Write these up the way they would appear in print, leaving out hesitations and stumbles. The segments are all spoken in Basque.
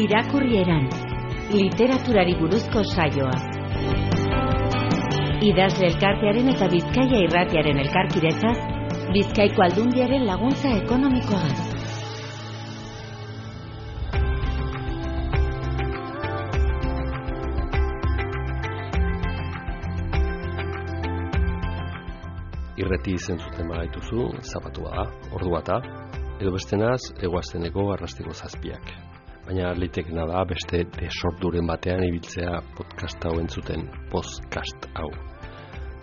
Irakurrieran, literaturari buruzko saioa. Idazle elkartearen eta Bizkaia Irratiaren elkarkidetzaz, Bizkaiko Aldundiaren laguntza ekonomikoagaz. Irreti zentzuten bagaituzu, zapatua da, ordua da, edo bestenaz, egoazteneko arrastiko zazpiak. Baina litekena da beste desorduren batean ibiltzea podcast hau entzuten, podcast hau.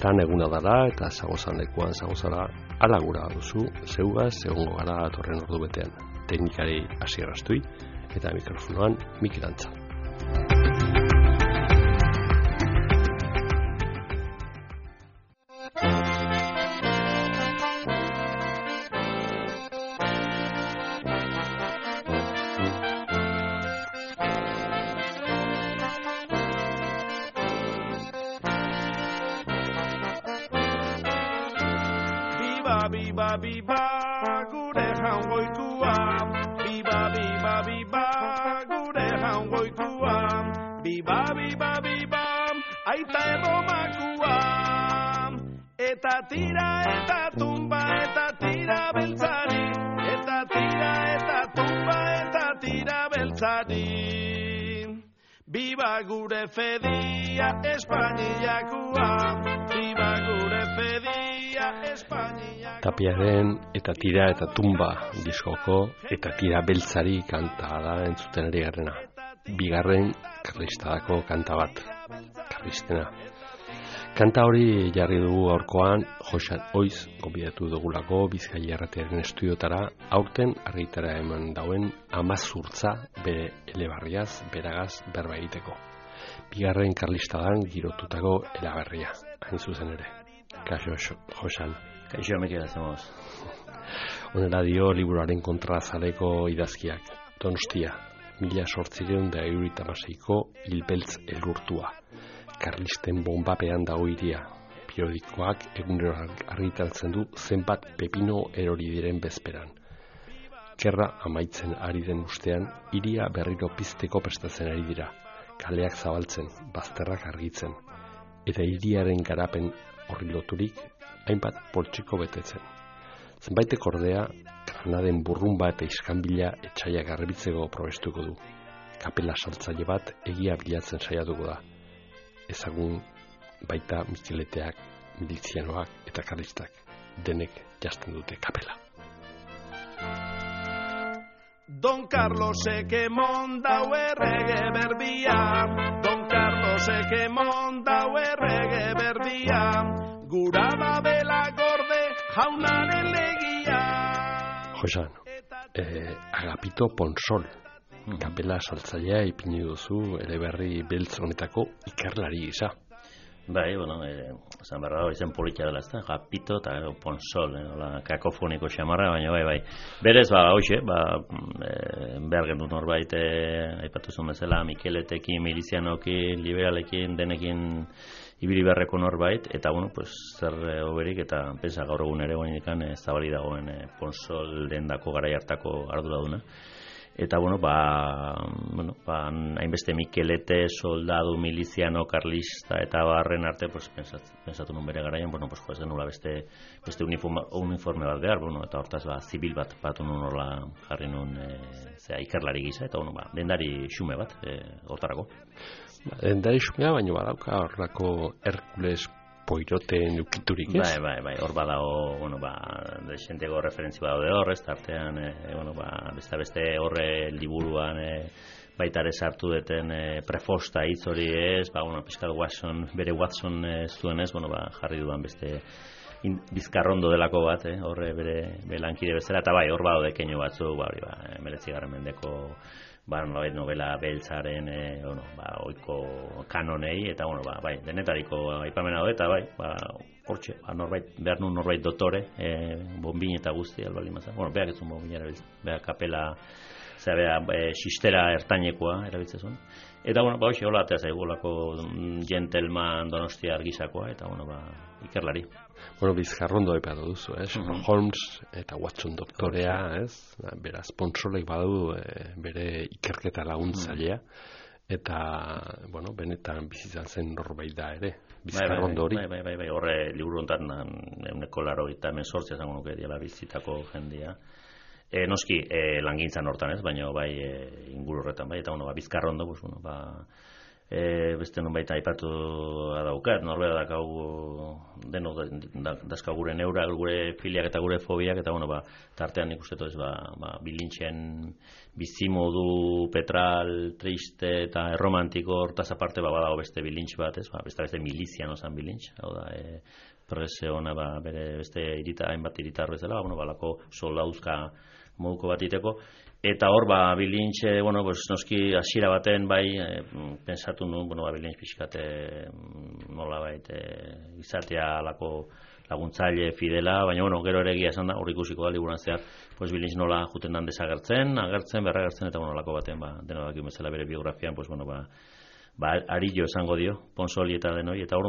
Tan eguna dara eta zagozan lekuan zagozara alagura duzu, zeugaz, egongo gara atorren ordu betean. Teknikari Asier Astui eta mikrofonoan Mikel Antza. Biba, gure jaungoikua. Biba, gure jaungoikua. Biba, aita erromakua. Eta tira, eta tumba, eta tira beltzari. Eta tira, eta tumba, eta tira beltzari. Biba gure fedia Espainiakua. Biba gure fedia Espainiakua. Tapiaren eta tira eta tumba diskoko eta tira beltzari kanta da entzuten ari garrena. Bigarren karlistadako kanta bat, karlistena. Kanta hori jarri dugu aurkoan Joxan Oiz gonbidatu dugulako Bizkaia Irratiaren estudiotara aurten argitara eman dauen 10 urtza bere elebarriaz, beragaz berba egiteko. Bigarren karlistadan girotutako eleberria, hain zuzen ere. Kaixo, Joxan. Kaixo, Mikel, hacemos. Honela dio liburuaren kontrazaleko idazkiak. Donostia, 1876ko hilbeltz elurtua. Karlisten bombapean dago hiria. Periodikoak egunero argitaratzen du zenbat pepino erori diren bezperan. Gerra amaitzen ari den ustean, hiria berriro pizteko prestatzen ari dira. Kaleak zabaltzen, bazterrak argitzen. Eta hiriaren garapen horri loturik, hainbat poltsiko betetzen. Zenbaitek ordea, granaden burrumba eta iskanbila etxaia garbitzeko probestuko du. Kapela saltzaile bat egia bilatzen saiatuko da. Ezagun baita Mikeleteak, milizianoak eta karlistak denek jasten dute kapela. Don Carlosek emondau errege berbia. Don Carlosek emondau errege berbia. Gura babela gorde jaunaren legia. Josan, Agapito Ponsol, kapela saltzailea ipini duzu eleberri beltz honetako ikerlari gisa. Bai, esan berra da, izen politia dela, ezta, Agapito eta Ponsol, kakofoniko xamarra, baina bai. Berez, hoxe, behar gendu norbait, aipatu zuen bezala, Mikeletekin, milizianokin, liberalekin, denekin ibili beharreko norbait, eta, zer oberik, eta pensa gaur egun ere guainikan zabali dagoen Ponsol dendako garai hartako arduraduna. Eta, hainbeste Mikelete, soldadu, miliziano, karlista eta barren arte, pensatu nun bere garaian, ez denula beste uniforme bat behar, eta hortaz, zibil bat batu nun horla jarri nun ikerlari gisa, eta, dendari xume bat, hortarako. Dendari xumea, baina badauka horrako Herkules Poiroten ukiturik, ez? Bai, hor badago, desentego referentzi badaude hor, ez tartean, beste horre liburuan, baitare sartu deten prefosta hitz hori ez, pixkat bere Watson zuen ez, jarri duan beste bizkarrondo delako bat, horre bere lankide bezala, eta bai, hor badaude keinu batzu, 19. mendeko novela beltzaren oiko kanonei, eta denetariko aipamena daude, eta hortxe, behar nun norbait dotore, bombin eta guzti, albali mazan. Behak ez un bombinera beltza, behak kapela sistera ertainekoa erabiltzen zuen. Eta, hoxe, hola, eta zaigulako gentleman Donostia argizakoa, eta, ikerlari. Bizkarrondo epatu duzu, Sherlock Holmes eta Watson doktorea, beraz, Ponsolek badu bere ikerketa laguntzailea, eta, benetan bizitzan zen norbait da ere, bizkarrondo hori. Bai, horre liburu honetan 180 esango nuke diela bizitako jendia. Noski, langintzan hortan baina bai inguru horretan, bai, eta bizkarrondo, beste nonbait aipatu daukat, norbera dakau denok dazka gure neurak, gure filiak eta gure fobiak, eta tartean nik uste bilintxen bizimodu, petral, triste eta erromantiko hortaz aparte badago beste bilintx bat, beste milizian osan bilintx, hau da, prese hona bere beste hainbat iritar bezala, balako soldauzka moduko bat iteko, eta hor, bilintxe, noski hasiera baten bai, pensatu nuen, bilintx pixkate nola baita izatea alako laguntzaile fidela, baina gero ere egia esan da, hor ikusiko da liburan zehar, bilintx nola juten dan desagertzen, berragertzen, eta alako baten, denodak bezala bere biografian, arillo esango dio, Ponsoli eta denoi, eta hor,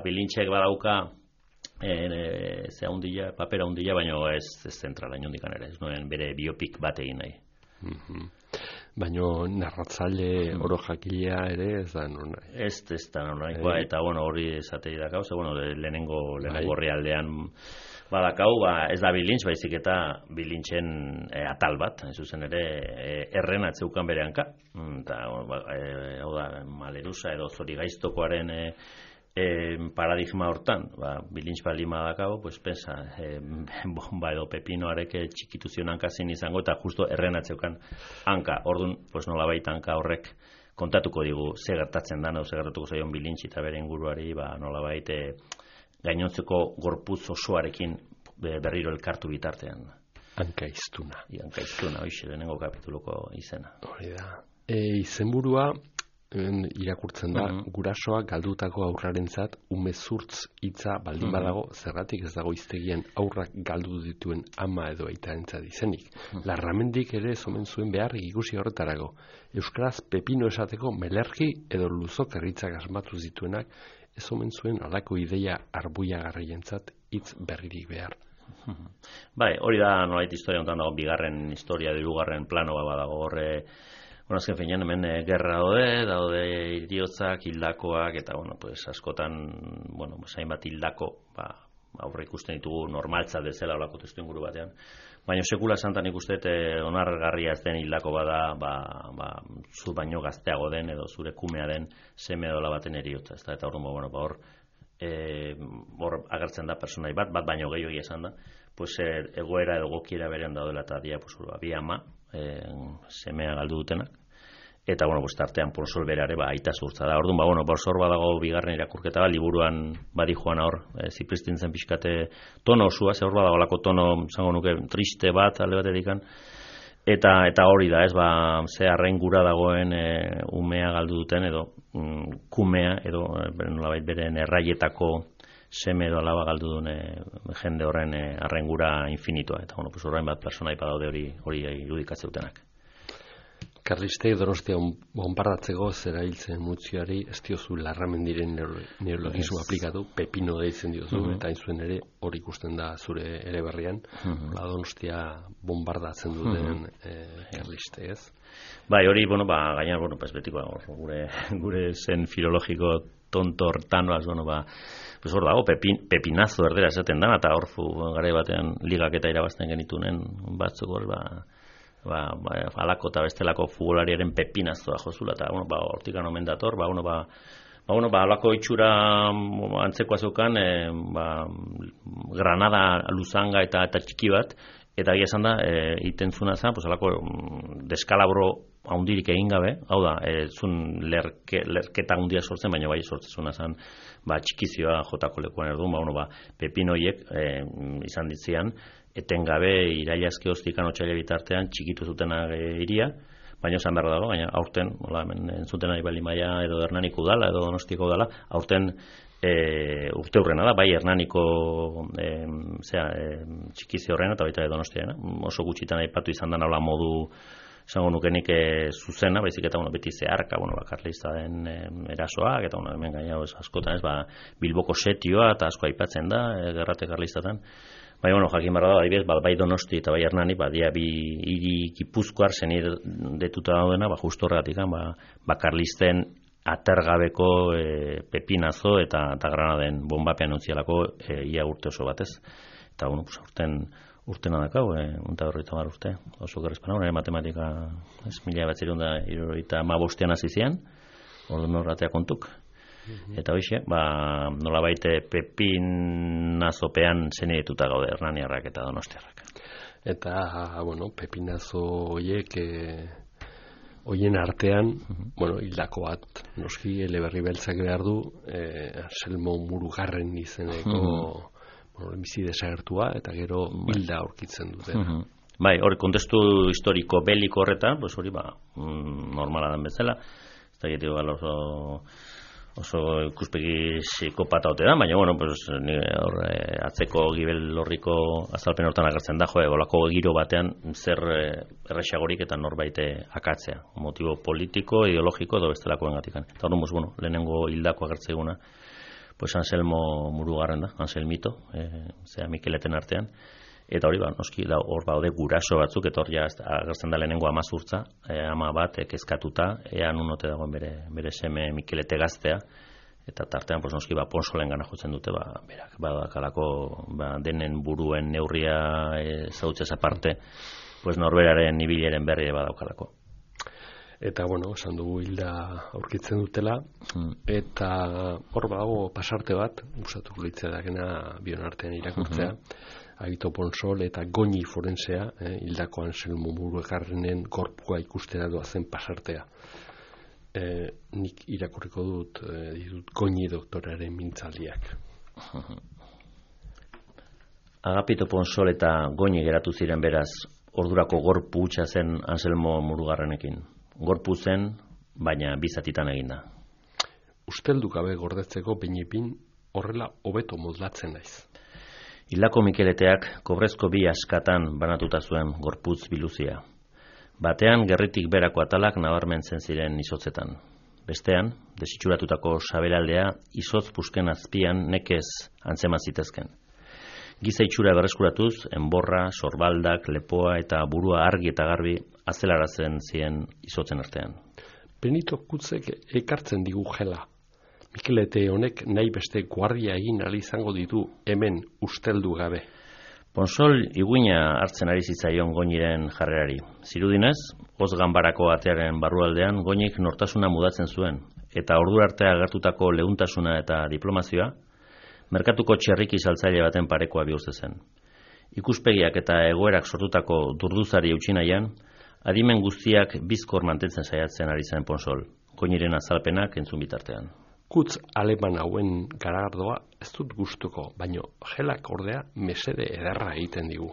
bilintxek badauka papera hundila, baina ez zentrala inondikan ere, ez nuen bere biopik bat egin nahi. Baina narratzaile oro jakilea ere ez da non nahi. Ez da non nahi, eta hori esatei dakau, lehenengo orrialdean badakau, ez da bilintx, baizik eta bilintxen atal bat, zuzen ere erren atzeukan bere hanka, eta hau da, malerusa edo zori gaiztokoaren paradigma hortan, bilintx balima dakau, pensa, bomba edo pepinoarek txikitu zion hankazin izango, eta justo erren atzeukan hanka, orduan, nolabait hanka horrek kontatuko digu ze gertatzen da, ze gertatuko zaion bilintx eta bere inguruari, nolabait gainontzeko gorputz osoarekin berriro elkartu bitartean. Hanka iztuna. Hanka iztuna, hoxe, lehenengo kapituluko izena. Hori da. Izenburua irakurtzen da, gurasoak galdutako aurrarentzat umezurtz hitza baldin badago, zergatik ez dago hiztegian aurrak galdu dituen ama edo aitarentzat izenik. Larramendik ere ez omen zuen behar ikusi horretarago. Euskaraz pepino esateko melerki edo luzok erritzak asmatu zituenak ez omen zuen alako ideia arbuiagarrientzat hitz berririk behar. Bai, hori da nolait historia honetan dago bigarren historia, hirugarren plano badago horre. Azken finean hemen gerra daude iriotzak, hildakoak, eta askotan, hainbat hildako aurre ikusten ditugu normaltzat dezela olako testu inguru batean. Baina sekula santan ikusten onargarria ez den hildako bada, zu baino gazteago den edo zure kumea den seme dola baten eriotza. Eta hor agertzen da personai bat baino gehiago esan da, egoera edo gokiera berean daudela eta dia bi ama, semea galdu dutenak, eta tartean Ponsol berare aita zurtza da. Orduan, hor badago bigarren irakurketa, liburuan badi joan hor, zipristintzen pixkate tono osua, hor badago lako tono, zango nuke, triste bat, alde bat edikan, eta hori da, ze arrain gura dagoen umea galdu duten, edo kumea, edo nolabait beren erraietako seme edo alaba galdu duen jende horren arrengura infinitoa. Eta, horrein bat personai badaude hori irudikatze-dutenak. Karlistek Donostia bonbardatzeko zera hiltzen mutzioari ez diozu Larramendiren neologismo aplikatu, pepino deitzen diozu, eta hain zuen ere hori ikusten da zure ere berrian, Donostia bonbardatzen duten Karlistek, ez? Bai, hori, gainan, betiko, gure zen filologiko tonto hortanoaz, hor dago, pepinazo erdera esaten dana, eta hor garai batean ligak eta irabazten genitunen batzuk hor, alako eta bestelako futbolariaren pepinazoa jozula, eta hortikan omen dator, alako itxura antzekoa zeukan, Granada luzanga eta txiki bat, eta egia esan da, iten zuna zen, alako deskalabro haundirik egin gabe, hau da, zun lerketa haundia sortzen, baina bai sortzezuna zen, txikizioa jotako lekuan erduan, pepinoiek izan ditzean, etengabe irailazke hoztikan otxaila bitartean txikitu zutenak iria, baina esan behar dago, baina aurten, entzuten ari bali maia edo Hernaniko udala, edo Donostiko udala, aurten urte hurrena da, bai Hernaniko txikizi horrena, eta baita Donostiana, oso gutxitan aipatu izan da nola modu esango nukenik zuzena, baizik eta beti zeharka, karlistaren erasoak, eta hemen gaina askotan Bilboko setioa, eta asko aipatzen da, gerrate karlistatan. Jakin barra da, adibidez, bai Donosti eta bai Hernani, dia bi hiri Gipuzkoar detuta daudena, justo horregatik, karlisten atergabeko pepinazo eta Granaden bombapean utzialako ia urte oso batez. Eta, urtena dakau, unta horreita mar urte, oso gerrezpana, matematika 1975 hasi zian, orduan horretea kontuk. Eta hoxe, nolabait pepinazopean zenietuta gaude hernaniarrak eta donostiarrak. Eta, pepinazo horiek, hoien artean, hildako bat, noski, Eleberri Beltzak behar du, Anselmo Murugarren izeneko bizi desagertua, eta gero hilda aurkitzen dute. Hori kontestu historiko beliko horretan, hori normala den bezala, ez da gitiko oso ikuspegi psikopata ote da, baina, atzeko gibel horriko azalpen hortan agertzen da, olako giro batean zer erresagorik eta norbaite akatzea, motibo politiko, ideologiko edo bestelakoen gatikan. Eta hori, lehenengo hildako agertzeguna, Anselmo Murugarren da, Anselmito, Mikeleten artean, eta hori, noski, hor baude guraso batzuk, eta hori agertzen da lehenengo amazurtza, ama bat, kezkatuta, ean unote dagoen bere seme Mikelete gaztea, eta tartean, noski, Ponsolen gana jotzen dute, berak, badakalako, denen buruen neurria zautzez aparte, norberaren ibileren berri badaukalako. Eta, esan dugu hilda aurkitzen dutela, eta hor badago pasarte bat, gustatuko litzea dagena bion artean irakurtzea, Agito Ponsol eta Goñi forensea, hildako Anselmo Murugarrenen gorpua ikustera doazen pasartea. Nik irakurriko dut Goñi doktoraren mintzaldiak. Agapito Ponsol eta Goñi geratu ziren beraz, ordurako gorpu hutsa zen Anselmo Murugarrenekin. Gorpu zen, baina bizatitan eginda. Usteldu gabe gordetzeko behinipin horrela hobeto moldatzen naiz. Hildako Mikeleteak kobrezko 2 askatan banatuta zuen gorputz biluzia. Batean gerritik berako atalak nabarmentzen ziren izotzetan. Bestean, desitxuratutako sabelaldea izotz pusken azpian nekez antzema zitezken. Giza itxura berreskuratuz, enborra, sorbaldak, lepoa eta burua argi eta garbi azelaratzen ziren izotzen artean. Benito Kutzek ekartzen digu jela. Mikelete honek nahi beste guardia egin ali izango ditu hemen usteldu gabe. Ponsol iguina hartzen ari zitzaion Goñiren jarrerari. Zirudinez, hoz ganbarako atearen barrualdean Goñik nortasuna mudatzen zuen, eta ordu artea agertutako leuntasuna eta diplomazioa, merkatuko txerriki saltzaile baten parekoa bihurtu zen. Ikuspegiak eta egoerak sortutako durduzari eutsi nahian, adimen guztiak bizkor mantentzen saiatzen ari zen Ponsol, Goñiren azalpenak entzun bitartean. Kutz aleman hauen garagardoa ez dut gustuko, baino jelak ordea mesede ederra egiten digu.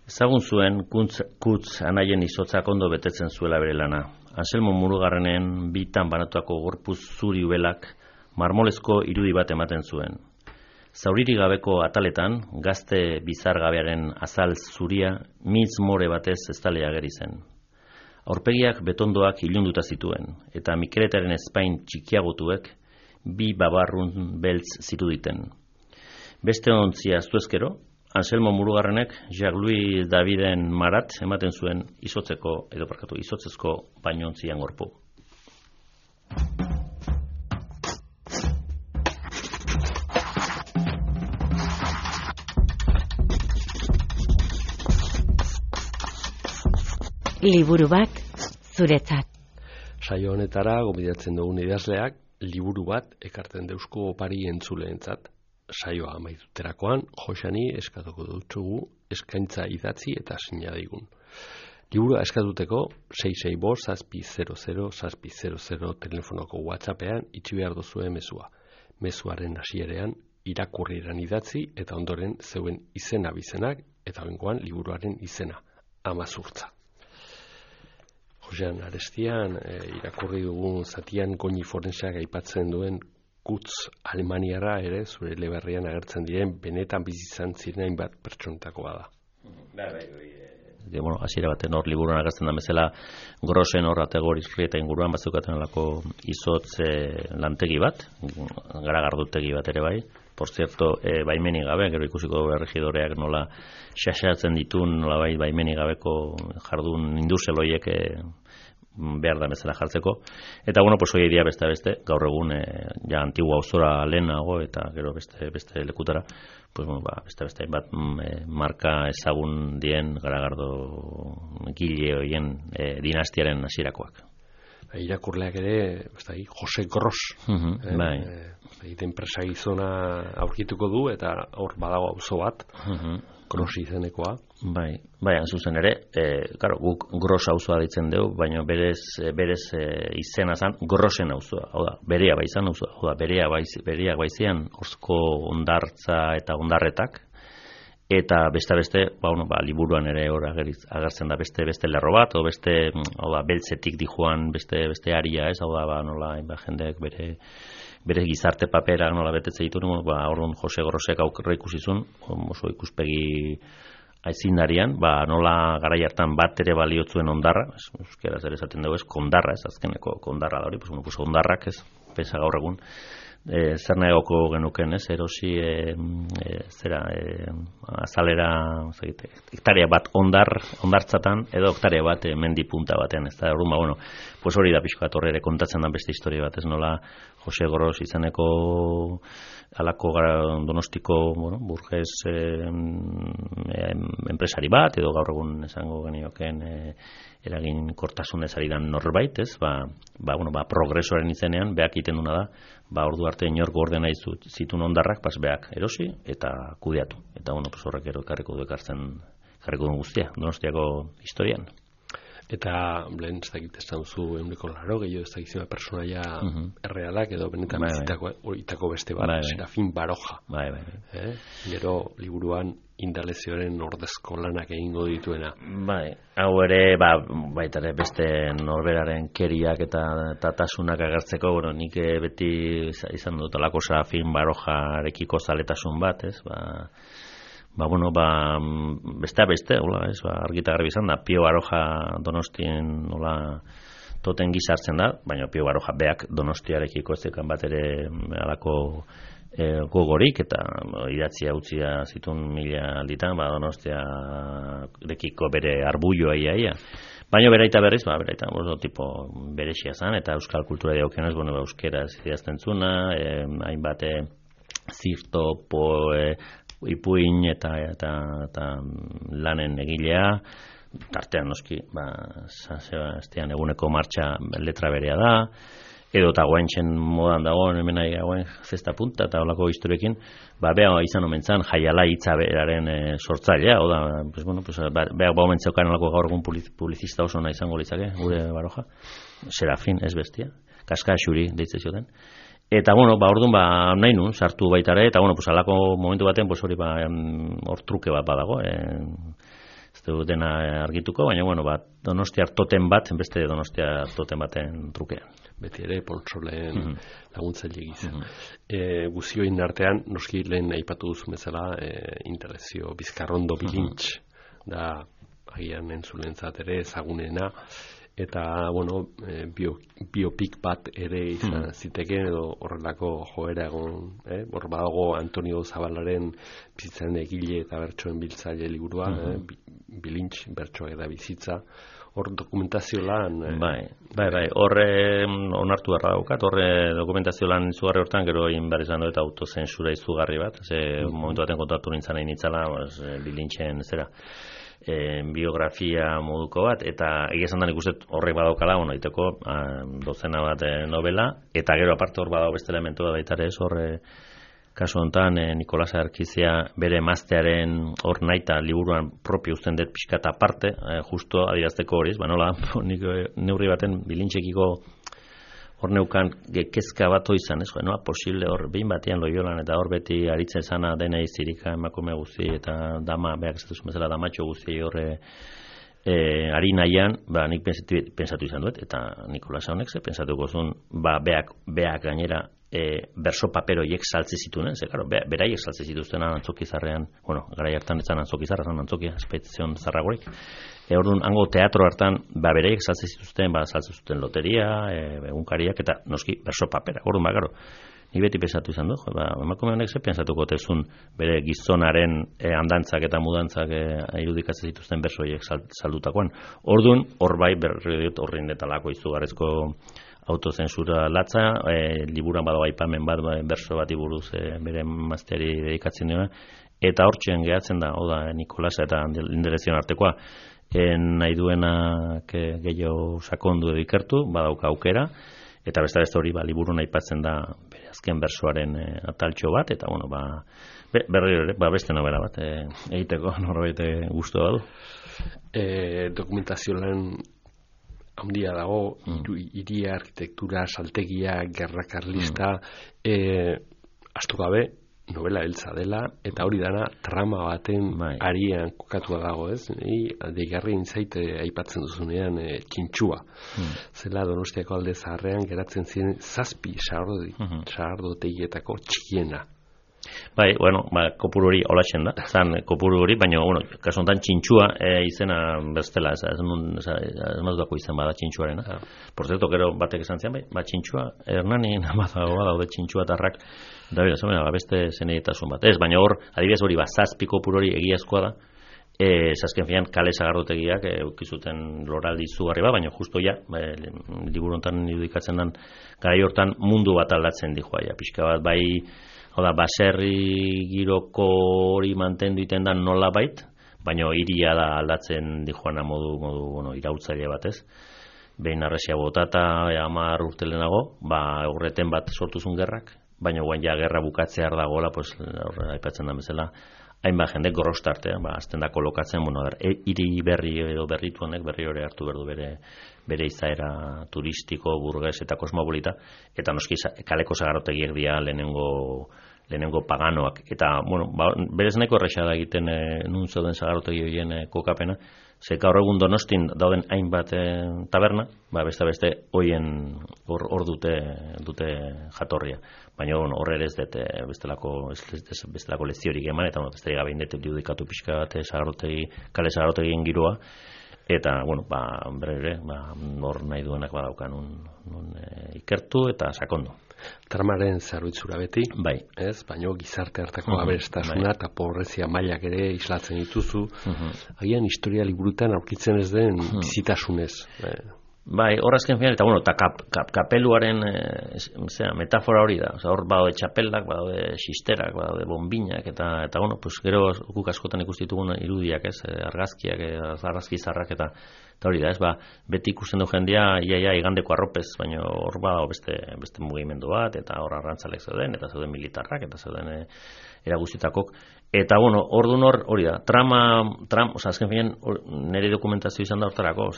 Ezagun zuen Kutz anaien izotzak ondo betetzen zuela bere lana. Anselmo Murugarrenen bitan banatuako gorpuz zuri ubelak marmolezko irudi bat ematen zuen. Zauriri gabeko ataletan, gazte bizargabearen azal zuria mitz more batez estale ageri zen. Aurpegiak betondoak ilunduta zituen, eta Mikeletaren ezpain txikiagotuek 2 babarrun beltz ziruditen. Beste ontzia aztuezkero, Anselmo Murugarrenek Jacques-Louis Daviden marat ematen zuen izotzezko bainontzian gorpu. Liburu bat zuretzat. Saio honetara gobidatzen dugun idazleak liburu bat ekartzen deuzko opari entzuleentzat. Saioa amaituterakoan, Josani eskatuko dutzugu eskaintza idatzi eta sinadigun. Liburua eskatuteko 665-700-700 telefonoko WhatsAppean itxi behar duzue mezua. Mezuaren hasierean irakurriran idatzi eta ondoren zeuen izena bizenak eta bengoan liburuaren izena, Amazurtza. Josean Arestian irakurri dugun zatian Goñi forenseak aipatzen duen Kutz Alemaniara ere zure eleberrian agertzen diren benetan bizitzan ziren hainbat pertsonetakoa da. bueno, hasiera baten hor liburuan agertzen da bezala Grossen hor ategor Izurrieta inguruan bazeukaten alako izotz lantegi bat, garagardutegi bat ere bai. Por cierto, baimenik gabe, gero ikusiko erregidoreak nola xaxatzen ditun, nola baimenik gabeko jardun industrial horiek behar da bezala jartzeko. Eta bueno, pues hoy día beste gaur egun ja antigua auzora lehenago eta gero beste lekutara, pues bueno, beste bat marka ezagun dien garagardo gile horien dinastiaren hasierakoak. Irakurleak ere, Jose Gros, bai. Enpresa gizona aurkituko du eta hor badago auzo bat, Gros izenekoa. Bai, zuzen ere, claro, guk Gros auzoa ditzen dugu, baina berez izena zan Grossen auzoa, hau da, berea bai izan auzoa, hau da, bereak bai zian orzko ondartza eta ondarretak, eta beste liburuan ere hor agertzen da beste lerro bat, o beste, hau da, beltzetik dijoan beste aria, ez, hau da, nola, jendeak bere gizarte paperak nola betetze dituen, orduan Jose Grosek aurre ikusizun, oso ikuspegi aitzindarian, nola garai hartan bat ere baliotzuen ondarra, euskeraz ere esaten dugu ez, kondarra, ez azkeneko kondarra da hori, pues ondarrak ez, pesa gaur egun, zer nahiko genuken, ez, erosi azalera, hektarea bat ondartzatan, edo hektarea bat mendi punta baten, ez da, orduan, pues hori da pixka torre ere kontatzen da beste historia bat, ez nola Jose Gros izaneko alako Donostiko, burges enpresari bat, edo gaur egun esango genioken eragin kortasunez ari dan norbait, ez, progresoaren izenean, beak iten duna da, ordu arte inorko ordena zitun ondarrak, beak erosi eta kudeatu. Eta, horrek ekarriko du guztia, Donostiako historian. Eta, lehen, ez dakit ez duzu euneko laro, gehiago ez dakizima personaia errealak, edo benetan itako beste bat, Serafin Baroja. Gero, liburuan, Indalezioaren ordezko lanak egingo dituena. Hau ere, baita ere beste norberaren keriak eta tatasunak agertzeko, nik beti izan dut alako Serafin Barojarekiko zaletasun bat, ez, beste, argita garbi izan da, Pio Baroja Donostien toten gizartzen da, baina Pio Baroja beak Donostiarekiko ez zekan bat ere alako gogorik, eta idatzia utzia zitun 1000 alditan, Donostiarekiko bere arbulloa ia. Baina beraita berriz, tipo berexia zan, eta euskal kultura diaukenez, euskeraz idazten zuna, hainbat zirto, ipuin eta lanen egilea, tartean noski, San Sebastian eguneko martxa letra berea da, edo eta guaintzen modan dagoen hemen hauen zesta punta eta olako historiekin, beha izan omentzan jaiala hitza beraren sortzailea, beha omentzeukan olako gaur egun publizista oso nahi izango litzake, gure Baroja, Serafin, ez bestia, kaska xuri deitze zioten. Eta, orduan, nahi nun, sartu baitare, eta, alako momentu baten, hori, hor truke bat badago, ez du dena argituko, baina, Donostiar toten bat, beste Donostiar toten baten trukean. Beti ere, poltsoleen laguntzaile gizan. Guzioin artean, noski lehen aipatu duzu bezala, Indalezio Bizkarrondo Bilintx, da, agian entzulentzat ere, ezagunena, eta, biopik bat ere izan zitekeen, edo horrelako joera egon, hor badago Antonio Zabalaren bizitzaren egile eta bertsoen biltzaile liburua, Bilintx, bertsoak eta bizitza, hor dokumentazio lan... Horre onartu beharra daukat, horre dokumentazio lan izugarri hortan, gero egin behar izan du eta autozensura izugarri bat, momentu baten kontatu nintzen nahi nitzala, Bilintxen zera, biografia moduko bat, eta egia esan da nik uste horrek badaukala, iteko dozena bat novela, eta gero aparte hor badago beste elementu da baitare ez, horre kasu honetan Nikolas Arkizia bere emaztearen hor naita liburuan propio uzten dut pixkat aparte, justo adirazteko horiz, nik neurri baten Bilintxekiko hor neukan kezka bat izan, ez, posible hor behin batean Loiolan eta hor beti aritzen zana dena izirika emakume guzti eta dama, behak esatuzun bezala damatxo guzti horre ari nahian, nik pensatu izan duet, eta Nikolas honek ze pensatuko zuen, beak gainera berso paper horiek saltze zituen, ze claro, beraiek saltze zituzten Antzokizarrean, garai hartan etzan Antzokizarra, zan Antzokia, espedizion zarragorik. Orduan, hango teatro hartan, beraiek saltze zituzten, saltze zuten loteria, egunkariak, eta noski berso papera. Orduan, claro, ni beti pensatu izan du, emakume honek ze pensatuko tezun bere gizonaren andantzak eta mudantzak irudikatzen zituzten berso horiek saldutakoan. Orduan, hor bai horrein detalako izugarrizko autozensura latza, liburuan badago aipamen bat berso bati buruz bere mazteari dedikatzen dira, eta hortxean gehatzen da, Nikolasa eta Linderezion artekoa, nahi duenak gehiago sakondu edo ikertu, badauka aukera, eta beste hori liburun aipatzen da bere azken bersoaren ataltxo bat, eta berriro ere, beste novela bat egiteko norbait gustu badu. Dokumentazio lan handia dago, hiria, arkitektura, saltegia, gerra karlista, astu gabe, novela heltza dela, eta hori dana trama baten arian kokatua dago, ez? Deigarri intzait aipatzen duzunean txintxua. Zela Donostiako Alde Zaharrean geratzen ziren 7 sagardotegietako txikiena. Kopuru hori olatzen da, zan kopuru hori, baina, kasu honetan txintxua izena bestela, ez mazudako izan bada txintxuaren. Por cierto, gero batek esan zian, txintxua, Hernani nabadagoa daude txintxua tarrak, da beste zeneditasun bat. Ez, baina hor, adibidez hori, 7 kopuru hori egiazkoa da, azken finean kale sagardotegiak eukizuten loraldi izugarri bat, baina justo liburu honetan irudikatzen den garai hortan mundu bat aldatzen dijoa, pixka bat, baserri giroko hori mantendu iten da nola bait, baina hiria da aldatzen dijoana modu irautzaile batez. Behin arresia botata, 10 urte lehenago, horreten bat sortuzun gerrak, baina guain gerra bukatzear dagoela, aipatzen da bezala, hainbat jende gorostartea, azten da kolokatzen, hiri berri edo berritu honek, berri hori hartu berdu bere izaera turistiko, burges eta kosmopolita, eta noski kaleko sagardotegiek dira lehenengo paganoak. Eta, berez nahiko erresa da egiten nun zeuden sagarotegi horien kokapena, ze gaur egun Donostin dauden hainbat taberna, beste horien hor dute jatorria. Baina hor ere ez dut bestelako leziorik eman, eta besterik gabe indetu diudikatu pixka bat kale sagarotegien giroa, eta, berre, nor nahi duenak badauka nun ikertu eta sakondu. Tramaren zerbitzura beti, ez? Baina gizarte hartako aberastasuna eta pobrezia mailak ere islatzen dituzu, agian historia liburutan aurkitzen ez den bizitasunez. Hor azken final, eta kapeluaren metafora hori da. Hor badaude txapeldak, badaude xisterak, badaude bombinak, eta gero guk askotan ikustitugun irudiak, argazkiak, argazki zarrak, eta hori da, beti ikusten du jendia iaia igandeko arropez, baina hor badao beste mugimendu bat, eta hor arrantzalek zeuden, eta zeuden militarrak, eta zeuden eraguzitakok. Eta, orduan hori da, azken finean, nire dokumentazio izan da hortarako,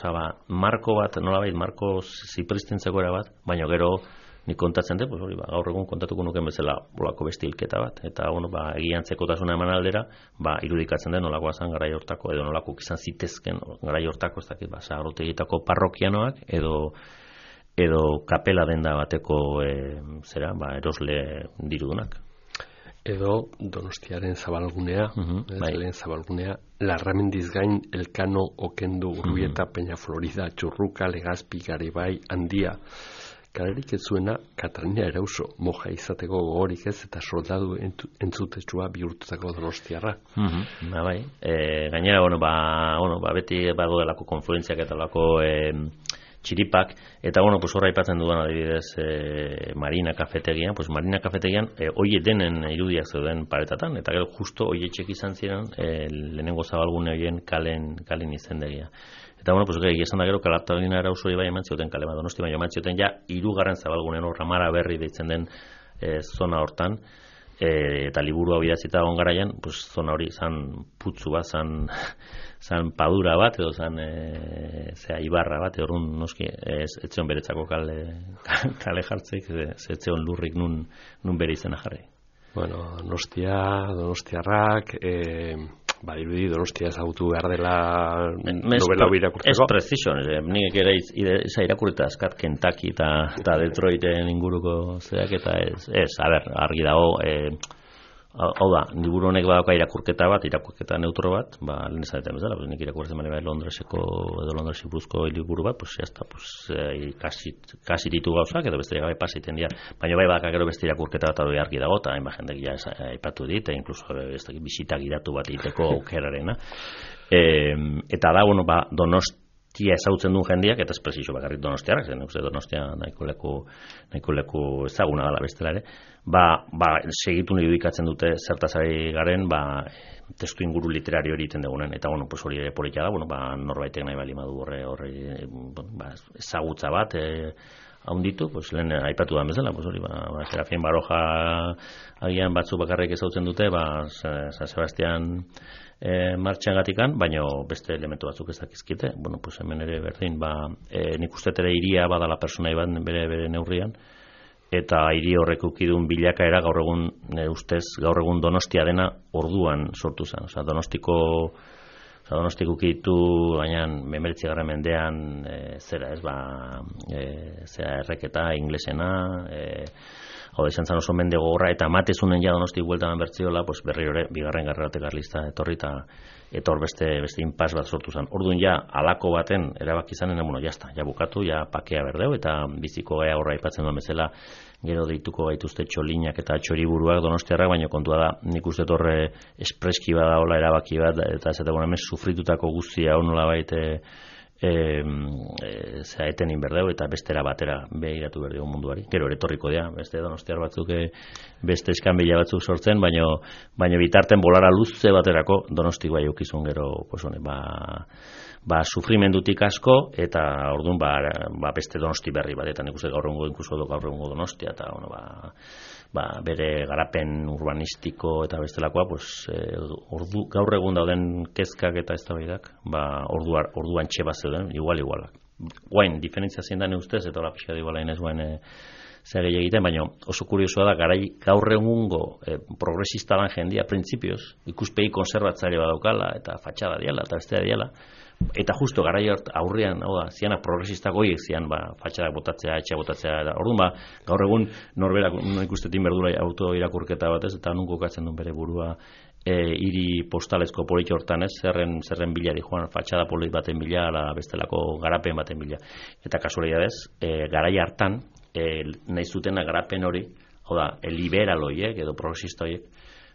marko bat, nolabait, marko zipristintzeko era bat, baina gero nik kontatzen dut, gaur egun kontatuko nuken bezala olako bestilketa bat, eta egiantzekotasuna eman aldera, irudikatzen den nolakoa zen garai hortako, edo nolako izan zitezken garai hortako, ez dakit, sagardotegitako parrokianoak, edo kapela denda bateko erosle dirudunak. Edo Donostiaren zabalgunea, lehen zabalgunea, Larramendiz gain Elkano, Okendu, Urbieta, Peña Florida, Txurruka, Legazpi, Garibai, Handia. Kalerik ez zuena Katarina Erauso, moja izateko gogorik ez, eta soldadu entzutetsua bihurtutako donostiarra. Gainera, beti bago delako konfluentziak eta delako txiripak, eta horra aipatzen dudan adibidez Marina kafetegian, Marina kafetegian oie denen irudiak zeuden paretatan, eta gero justo oie txek izan ziren lehenengo zabalgune horien kalen izendegia. Eta esan da gero Katarina Erauso bai eman zioten kale bat, Donosti baina eman zioten 3. zabalgunen hor Ramara Berri deitzen den zona hortan, eta liburu hau idazita egon garaian, zona hori zan putzu bat, zan padura bat, edo zan ibarra bat, horren noski etzion beretzako kale jartzeik, etzion lurrik nun bere izena jarri. Donostiarrak, badirudi Donostia ezagutu behar dela novela hori irakurtzeko. Ez preciso, nik ere irakurrita askat Kentucky eta Detroiten inguruko zeak eta ez, argi dago, hau da, liburu honek badauka irakurketa neutro bat, lehen esaten bezala, nik irakurtzen bane bai Londresi buruzko liburu bat, pues jazta, kasi ditu gauzak, edo beste gabe pasiten dira, baina bai badaka gero beste irakurketa bat hori argi dago, eta hainbat jendek ja aipatu dit, inkluso bisita gidatu bat egiteko aukerarena. Eta da, Donostia ezagutzen duen jendeak, eta ez presizo bakarrik Donostiarrak, zen Donostia nahiko leku ezaguna dela bestela ere, segitu nahi irudikatzen dute zertaz ari garen, testu inguru literario hori egiten dugunen, eta hori ere politia da, norbaitek nahi bali madu horre ezagutza bat, haunditu, lehen aipatu da bezala, Serafin Baroja agian batzuk bakarrik ezagutzen dute, San Sebastian martxan gatikan, baina beste elementu batzuk ez dakizkite, hemen ere berdin, nik uste ere iria badala personai bat bere neurrian, eta hiri horrek ukidun bilakaera gaur egun Donostia dena orduan sortu zen. Donostiko ukitu gainan 19. mendean zera erreketa inglesena, hau da izan zan oso mende gogorra, eta matezunen ja Donosti bueltan bertziola, berriro ere, bigarren garrerate garlista etorri, eta hor beste inpas bat sortu zen. Orduan ja, alako baten erabaki izanen, jazta, ja bukatu, ja pakea berdeu, eta biziko gaia horra aipatzen duen bezala, gero deituko gaituzte txolinak eta txoriburuak Donostiarrak, baina kontua da, nik uste torre espreski badaola erabaki bat, eta ez eta hemen sufritutako guztia honola baite, etenin berdeu eta bestera batera behiratu berdeu munduari. Gero etorriko dira, beste Donostiar batzuk beste eskanbila batzuk sortzen, baina bitarten bolara luze baterako Donosti bai eukizun gero sufrimendutik asko, eta orduan beste Donosti berri bat, eta nik uste gaur egungo Donostia, eta bere garapen urbanistiko eta bestelakoa, gaur egun dauden kezkak eta eztabaidak, orduan txeba zeuden, igualak. Guain, diferentzia zein da ustez, eta hola pixka iguala inez guain zer egiten, baina oso kuriosoa da, gaur egungo progresista lan jendia, printzipioz, ikuspegi konservatzaile badaukala, eta fatxada diala, eta bestea diala, eta justo garai aurrean, zianak progresistak goiek zian, fatxadak botatzea, etxea botatzea, orduan gaur egun norberak ikustetin berdura auto irakurketa batez, eta nun kokatzen duen bere burua hiri postalezko politxo hortan ez, zerren bilari joan, fatxada polit baten bila, bestelako garapen baten bila. Eta kasualidadez, garai hartan, nahi zutena garapen hori, hau da, liberal horiek edo progresista horiek,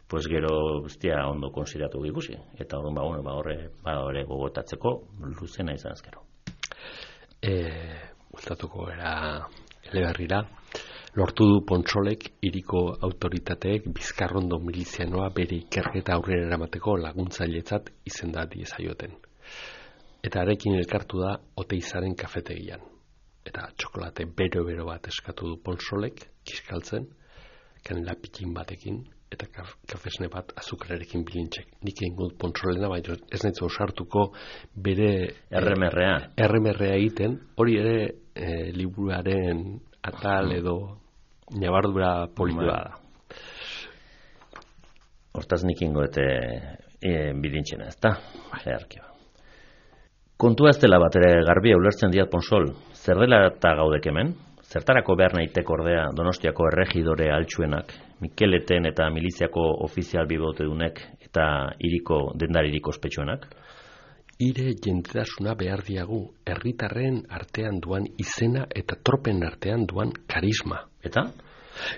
pues gero ondo konsideratu ikusi, eta orduan horre gogotatzeko luzena izan azkero. Gustatuko era eleberrira, lortu du Pontsolek hiriko autoritateek Bizkarrondo milizianoa bere ikerketa aurrera eramateko laguntzailetzat izendatu diezaioten. Eta harekin elkartu da Oteizaren kafetegian. Eta txokolate bero bat eskatu du Pontsolek, kiskaltzen, kanela pikin batekin, eta kafesne bat azukrarekin bilintxek. Nik egin dut Pontsolena, baina ez nahizu osartuko bere erremerrea egiten, hori ere liburuaren atal edo nabardura politua da. Hortaz nik ingoete bilintxena, ez da? Kontua ez dela bat ere garbia ulertzen diat Pontsol, zer dela eta gaudek hemen? Zertarako behar nahitek ordea Donostiako erregidore altsuenak, Mikeleten eta miliziako ofizial bibotedunek eta hiriko dendaririk ospetsuenak? Hire jendetasuna behar diagu, herritarren artean duan izena eta tropen artean duan karisma. Eta?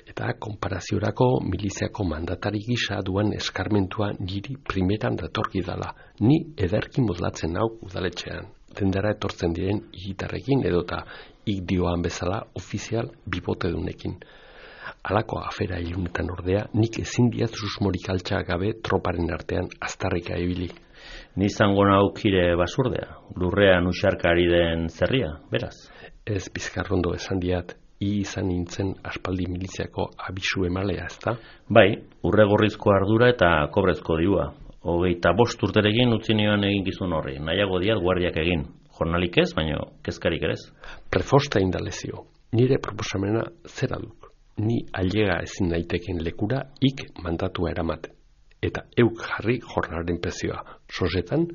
Eta konparaziorako miliziako mandatari gisa duan eskarmentua niri primeran datorki dala. Ni ederki modlatzen hau udaletxean. Dendara etortzen diren hiritarrekin edota dioan bezala ofizial bibotedunekin. Halako afera ilunetan ordea, nik ezin diat susmorik altxa gabe troparen artean aztarrika ibili. Ni zango naukire basurdea, lurrean usarkari den zerria, beraz? Ez Bizkarrondo esan diat, izan nintzen aspaldi miliziako abisu emalea, ezta? Bai, urregorrizko ardura eta kobrezko dirua. 25 urterekin utzi nioan eginkizun horri, nahiago diat guardiak egin. Jornalik ez, baina kezkarik ere ez. Prefosta indalezio, nire proposamena zera duk. Ni ailega ezin daiteken lekura ik mandatua eramate. eta euk jarri jornalaren prezioa. Sosetan,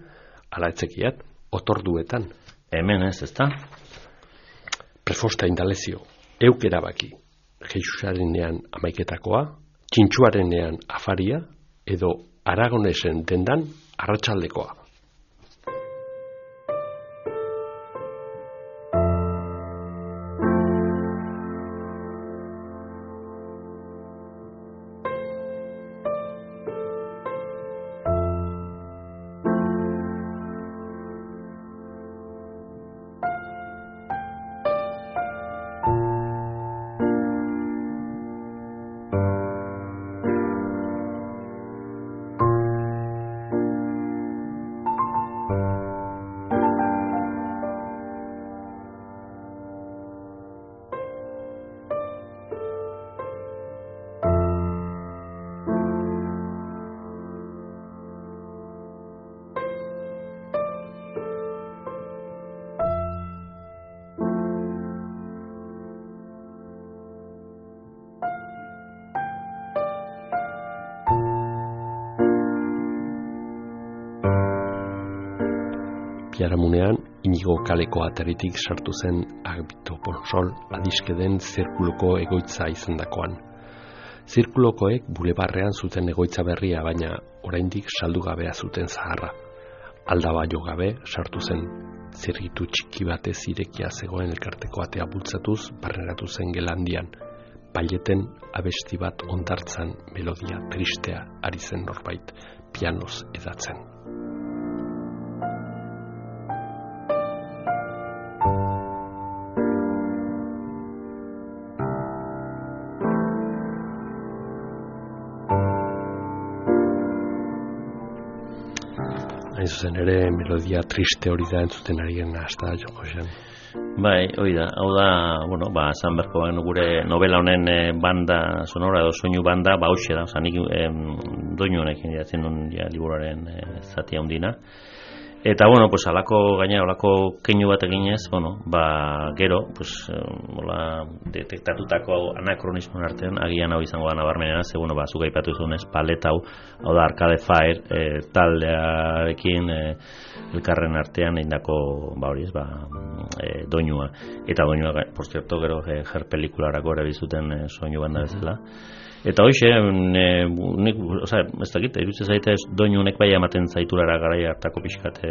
ala etzekiat, otorduetan. Hemen ezta? Prefosta indalezio, euk erabaki. Jesusarenean amaiketakoa, txintxuarenean afaria, edo Aragonesen dendan arratsaldekoa. Biharamunean, Inigo kaleko ataritik sartu zen Agapito Ponsol adiskeden zirkuloko egoitza izandakoan. Zirkulokoek bulebarrean zuten egoitza berria, baina oraindik saldu gabea zuten zaharra. Aldaba jo gabe sartu zen. Zirritu txiki batez irekia zegoen elkarteko atea bultzatuz barneratu zen gelandian. Paileten abesti bat ondartzan melodia tristea ari zen norbait, pianoz edatzen. Hain zuzen ere, melodia triste hori da entzuten ari gena, hasta Josean. Bai, hori da. Hau da, bueno, esan berko gure novela honen banda sonora edo soinu banda, hoxe da, nik doinu honekin jatzen duen liburuaren zati handina. Eta, bueno, pues alako gainera, alako keinu bat eginez, gero, pues, detektatutako anakronismoen artean, agian hau izango da nabarmenena, ze, zuk aipatu zunez, palet hau da Arcade Fire taldearekin elkarren artean eindako, hori ez, doinua. Eta doinua, por cierto, gero Her pelikularako ere bizuten soinu banda bezala. Eta hoxe, ez dakit, iruditzen zaite doinu honek bai ematen zaiturara garai hartako pixkat,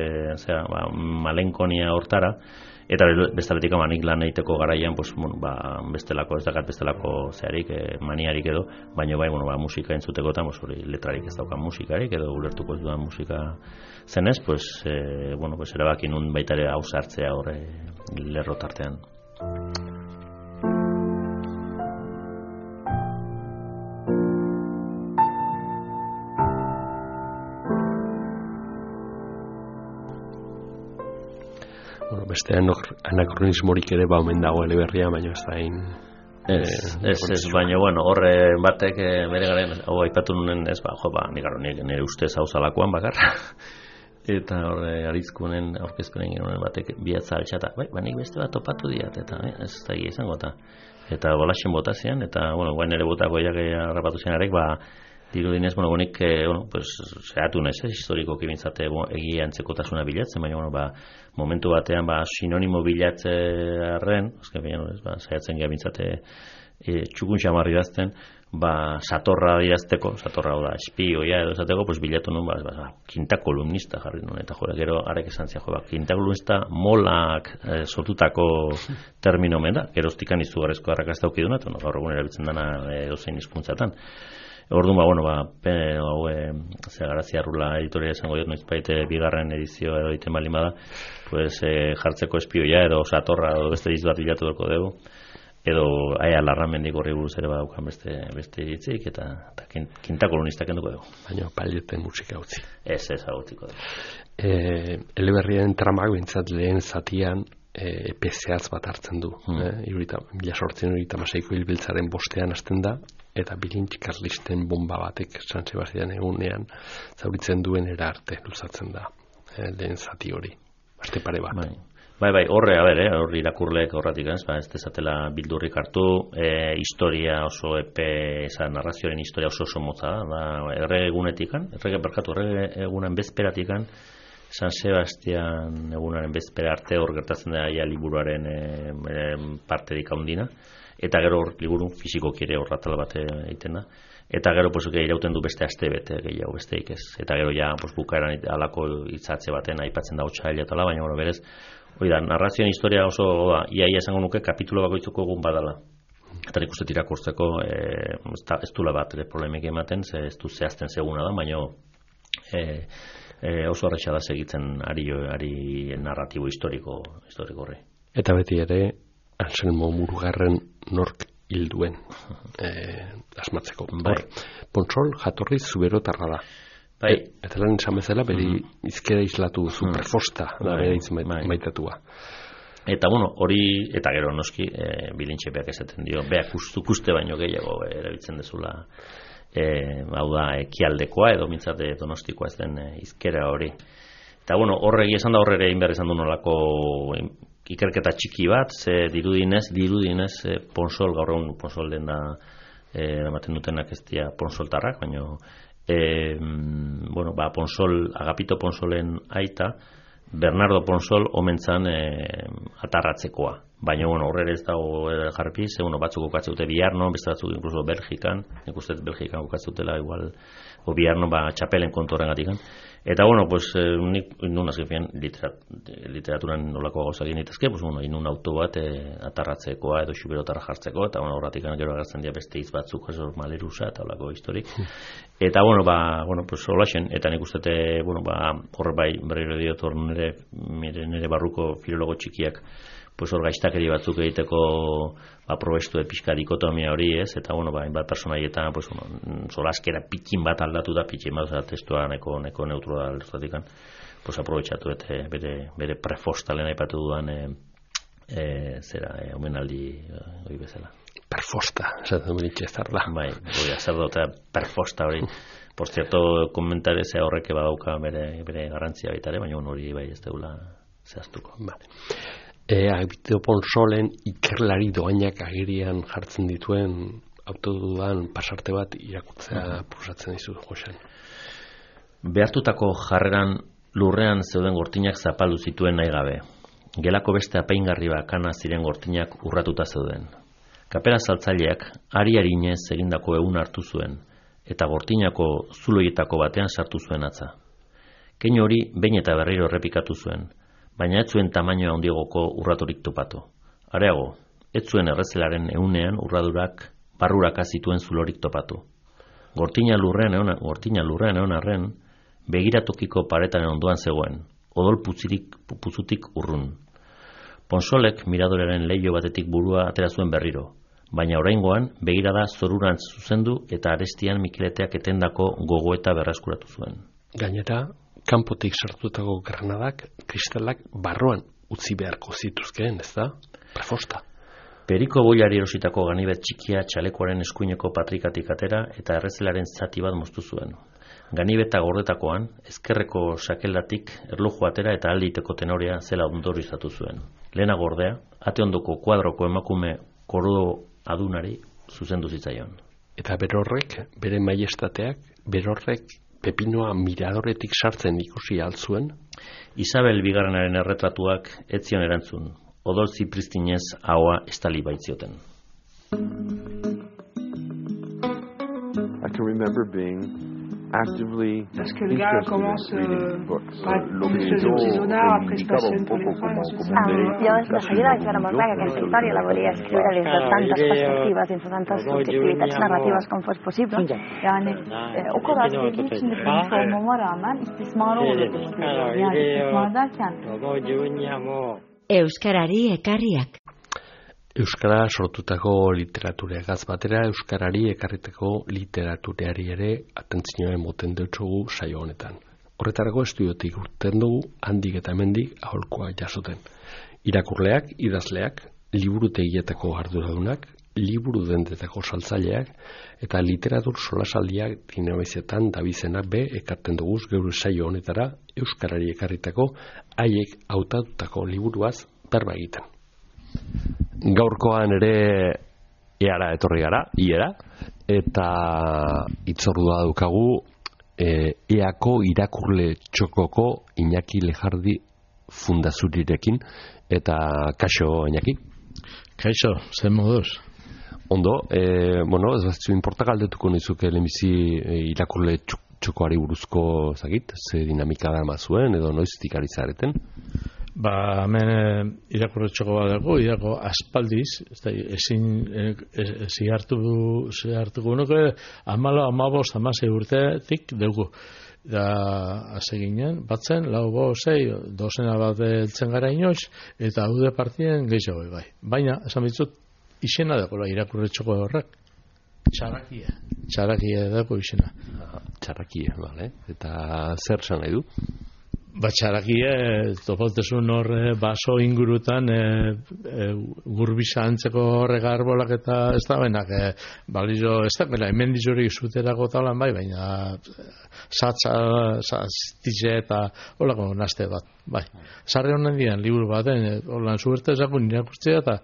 malenkonia hortara, eta bestaletik nik lan egiteko garaian, bestelako, ez dakat bestelako zeharik, maniarik edo, baina bai, musika entzuteko eta letrarik ez daukan musikarik, edo ulertuko ez duan musika zenez, erabaki nun baita ere hau sartzea horre lerro tartean. Beste anakronismorik ere omen dago eleberria, baina ez da hain... Ez, baina, horre batek bere garen, hau aipatu nunen ez, nik nire ustez hau zalakoan bakarra. Eta horre arizkunen aurkezpenen genuen batek biatza altxata, nik beste bat topatu diat, eta ez da izango eta. Eta bolaxen botazian, eta, guain ere botako jak harrapatu zianarek, dirudinez, honik, zehatu nez, historikoki bintzate egia antzekotasuna bilatzen, baina, momentu batean, sinonimo bilatzearen, zehatzen geha bintzate txukun xamarri dazten, satorra idazteko, satorra da, espioia edo esateko, bilatu nun, kinta kolumnista jarri nun, eta gero arek esan zia, kinta kolumnista molak sortutako termino omen da, geroztikan izugarrezko arrakazta aukiduna, eta gaur egun erabiltzen dana dozein hizkuntzatan. Orduan, Garazia Arrula editoria izango diot, noizbait bigarren edizio edo egiten baldin bada, jartzeko espioia edo satorra edo beste diz bat bilatu doko dugu, edo Aia Larramendik horri buruz ere badaukan beste iritzik, eta kinta kolonistak enduko dugu. Baina paileten musika utzi. Ez agutiko dugu. Eleberrien tramak bintzat lehen zatian epezeatz bat hartzen du. 1836ko hilbiltzaren bostean hasten da, eta bilintz karlisten bomba batek San Sebastian egunean zauritzen duen era arte luzatzen da lehen zati hori. Aste pare bat. Bai, horre irakurleek horretik ez dezatela bildurrik hartu, historia oso narrazioaren historia oso motza da, errege egunen bezperatikan, San Sebastian egunaren bezpera arte hor gertatzen da liburuaren parterik handina, eta gero liburu fisikoki ere horratal bat egiten da. Eta gero irauten du beste aste bete gehiago besteik ez. Eta gero ja bukaeran alako hitzatze baten aipatzen da otsaila eta baina berez narrazioen historia oso iaia esango nuke kapitulo bakoitzeko egun badala. Eta nik uste irakurtzeko ez dula bat problemik ematen, ez du zehazten seguna da, baina oso arretxa da segitzen ari narratibo historiko horri. Eta beti ere Anselmo Murugarren nork hilduen asmatzeko. Ponsol jatorri zuberotarra da. Eta lan esan bezala, beri izkera islatu zu prefosta da bere maitatua. Eta hori, eta gero noski, bilintxe beak esaten dio, beak uste baino gehiago erabiltzen dezula, hau da, ekialdekoa edo mintzate donostikoa ez den izkera hori. Eta horregi esan da horre egin behar izan du nolako ikerketa txiki bat, ze dirudinez Ponsol, gaur egun Ponsol den da ematen dutenak ez dira Ponsoltarrak, baina Ponsol, Agapito Ponsolen aita, Bernardo Ponsol omentzan atarratzekoa. Baina horre ez dago jarpi, ze batzuk kokatze dute Biarno, beste batzuk inkluso Belgikan, nik uste Belgikan kokatze dutela igual, o Biarno txapelen kontorren gatikan. Eta nik inun azkenean literaturan nolako gauza egin ditazke, inun auto bat atarratzekoa edo xuberotara jartzeko, eta horretik gero agertzen dira beste hitz batzuk, malerusa eta olako historik. Eta holaxen, eta nik uste horre berriro diot nire barruko filologo txikiak hor gaiztakeri batzuk egiteko probestu pixka dikotomia hori ez, eta hainbat personaietan solaskera pikin bat aldatu da, pikin bat testua neko neutro da alduzatikan, aprobetxatu eta bere prefostalen aipatu dudan omenaldi hori bezala. Perfosta, esaten benitxe ez tarda. Zer dut, perfosta hori. Por cierto, komentarezea horreke badauka bere garrantzia baitare, baina hori ez deula zehaztuko. Agapito Ponsolen ikerlari doainak agirian jartzen dituen autodudan pasarte bat irakurtzea prusatzen dizu, Josean. Behartutako jarreran lurrean zeuden gortinak zapaldu zituen nahi gabe. Gelako beste apaingarri bakana ziren gortinak urratuta zeuden. Kapera saltzaileak ari-arinez egindako egun hartu zuen, eta gortinako zuloietako batean sartu zuen atza. Keinu hori behin eta berriro errepikatu zuen, baina ez zuen tamainoa handiagoko urraturik topatu. Areago, ez zuen errezelaren ehunean urradurak barruraka zituen zulorik topatu. Gortina lurrean egon arren, begiratokiko paretaren ondoan zegoen, odol puzutik urrun. Ponsolek miradorearen leiho batetik burua atera zuen berriro, baina oraingoan begirada zorurantz zuzendu eta arestian Mikeleteak etendako gogoeta berreskuratu zuen. Gainera, kanpotik sartutako granadak, kristalak barroan utzi beharko zituzkeen, ez da? Prefosta. Periko boilari erositako ganibet txikia txalekoaren eskuineko patrikatik atera eta errezelaren zati bat moztu zuen. Ganibeta gordetakoan, ezkerreko sakeldatik erloju atera eta alditeko tenorea zela ondorizatu zuen. Lehena gordea, ate ondoko kuadroko emakume korodo adunari zuzendu zitzaion. Eta berorrek, bere maiestateak, berorrek Pepinoa miradoretik sartzen ikusi altzuen? Isabel Bigarrenaren erretratuak ez zion erantzun, odol zipristinez ahoa estali baitzioten. I can remember being actively parce que le gars commence par une espèce de petit sonar, après se passionne pour les femmes. Yo de seguida vaig veure molt clar que aquesta història la volia escriure des de tantes perspectives, dins de tantes subjectivitats narratives com fos possible. Yani o kadar sevdiği için de polis olmama rağmen istismarı olduğunu görüyorum. Yani istismar derken Euskarari ekarriak. Euskara sortutako literaturegaz batera, Euskarari ekarriteko literatureari ere atentzioa emoten deutsogu saio honetan. Horretarako estudiotik urten dugu handik eta hemendik aholkoa jasoten. Irakurleak, idazleak, liburutegietako arduradunak, liburu dendetako saltzaileak eta literatur solasaldiak dinamizetan dabizenak be ekarten duguz geure saio honetara euskarari ekarritako haiek hautatutako liburuaz berba egiten. Gaurkoan ere eara etorri gara, iera, eta itzordua daukagu eako irakurle txokoko Iñaki Lejardi fundazurirekin, eta kaixo Iñaki? Kaixo, zen moduz? Ondo, ez batzu inporta galdetuko nizuke lehenbizi irakurle txokoari buruzko zagit, ze dinamika da mazuen, edo noiztik ari zareten? Hemen irakurle txoko bat dago, irako aspaldiz, zihartuko nuke, 14, 16 urtetik dugu. Da, hase ginen, batzen, 4, 6, dozena bat eltzen gara inoiz, eta haude partien gehiago bai. Baina, esan bitzut, izena dago irakurle txoko horrek. Txarakia dago izena. Txarakia, bale. Eta zer zan nahi du? Txarakia, topautezun horre baso ingurutan gurbisa antzeko horrek arbolak eta ez da benak balizo, ez da bela, hemen dizurik zuterako talan bai, baina satze eta holako naste bat, bai. Sarri honen dian, liburu baten, holan zuerte ezakun irakurtzea eta,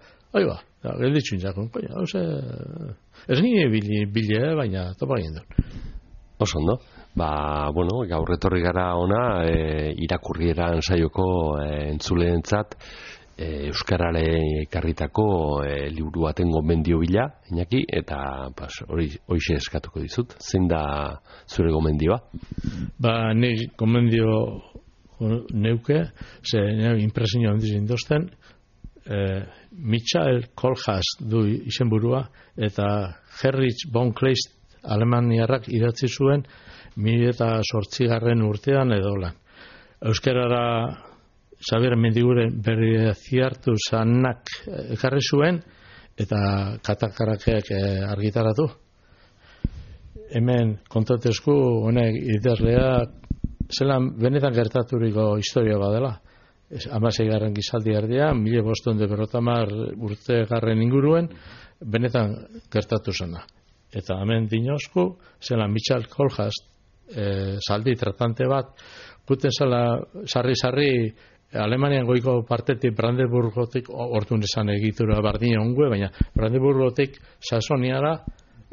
gelditzu inzakun, ez nire bile, baina topa egin dut. Oso ondo. Gaur etorri gara ona irakurrieran saioko entzuleentzat euskarare ekarritako liburu baten gomendio bila, Iñaki, eta horixe eskatuko dizut. Zein da zure gomendioa? Ni gomendio neuke, ze impresio handiz indozten, Michael Kohlhaas du izenburua, eta Heinrich von Kleist alemaniarrak idatzi zuen 2008 urtean edo lan. Euskarara Xabier Mendiguren berri ziartu zanak ekarri zuen eta katakarakeak argitaratu. Hemen kontatezku honek idazlea zelan benetan gertaturiko historia badela. 16. gizaldi erdia, 1550 urte garren inguruen, benetan gertatu zena. Eta hemen dinozku, zela Michael Kohlhaas, zaldi tratante bat, guten zela sarri Alemanian goiko partetik Brandenburgotik, orduan esan egitura bardina ongue, baina Brandenburgotik Saxoniara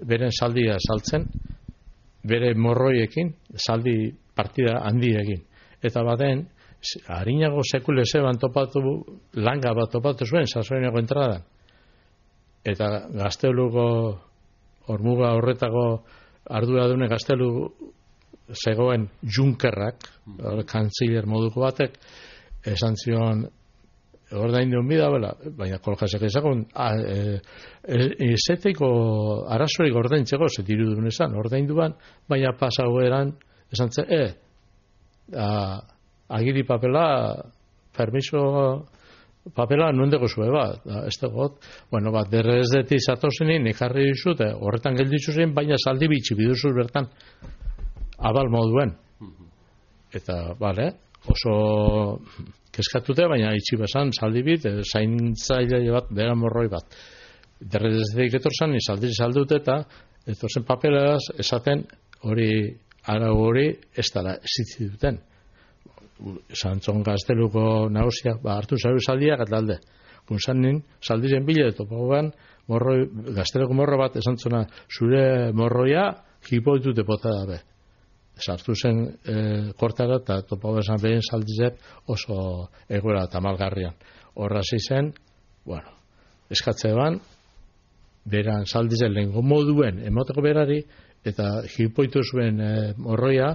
beren saldia saltzen, bere morroiekin, saldi partida handiekin. Eta baten, harinago sekulese langa bat topatu zuen Saxoniako entradan. Eta Gazteluko hormuga horretako arduradune Gaztelu zegoen Junkerrak, kantziller moduko batek, esan zion ordaindun bida, baina Kohlhaasek ezakun, ezeteko arazorik ordaintzeko, zetirudun esan, ordainduan, baina pasaueran, esan zen, agiri papela, permiso papela nundeko zue bat, ez dagoet, derrezdetik zatozenin, ikarri dizute, horretan gelditzu zen, baina saldi bitxi biduzuz bertan, abal moduen. Eta, oso keskatute, baina itxi bezan, saldi bit, zaintzaile bat, bera morroi bat. Derrezdetik etorzan, saldi saldute eta etorzen papelaz, esaten hori, arau hori, ez dara ezitzi duten. Santzon Gazteluko nagusiak hartu zaitu saldiak eta alde. Gunzanin, saldiren bile topagoan, Gazteluko morro bat esantzona zure morroia hipoitute bota dabe. Sartu zen kortara eta topago esan behin saldizek oso egoera eta malgarrian. Horra zen, eskatzean, beran saldizen lehenko moduen emoteko berari eta hipoitu zuen morroia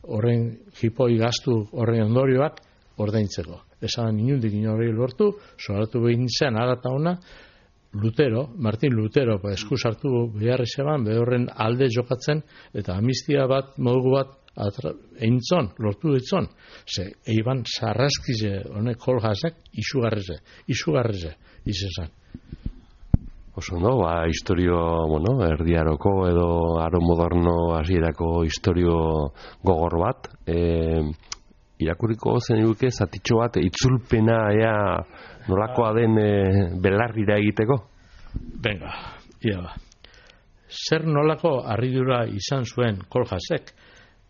horren hipoi gaztu horren ondorioak ordaintzeko. Esan inundik inorri lortu, soratu behin zen arata ona, Martin Lutero, esku sartu beharri zeban, horren alde jokatzen, eta amnistia bat, modugu bat, lortu ditzon. Eiban sarraskize, honek Kohlhaasek, izugarrize, izan. Oso no, historio, erdiaroko edo aro moderno hasierako historio gogor bat. Irakurriko zen eduke zatitxo bat itzulpena nolakoa den belarrira egiteko? Venga, Zer nolako harridura izan zuen Koljasek,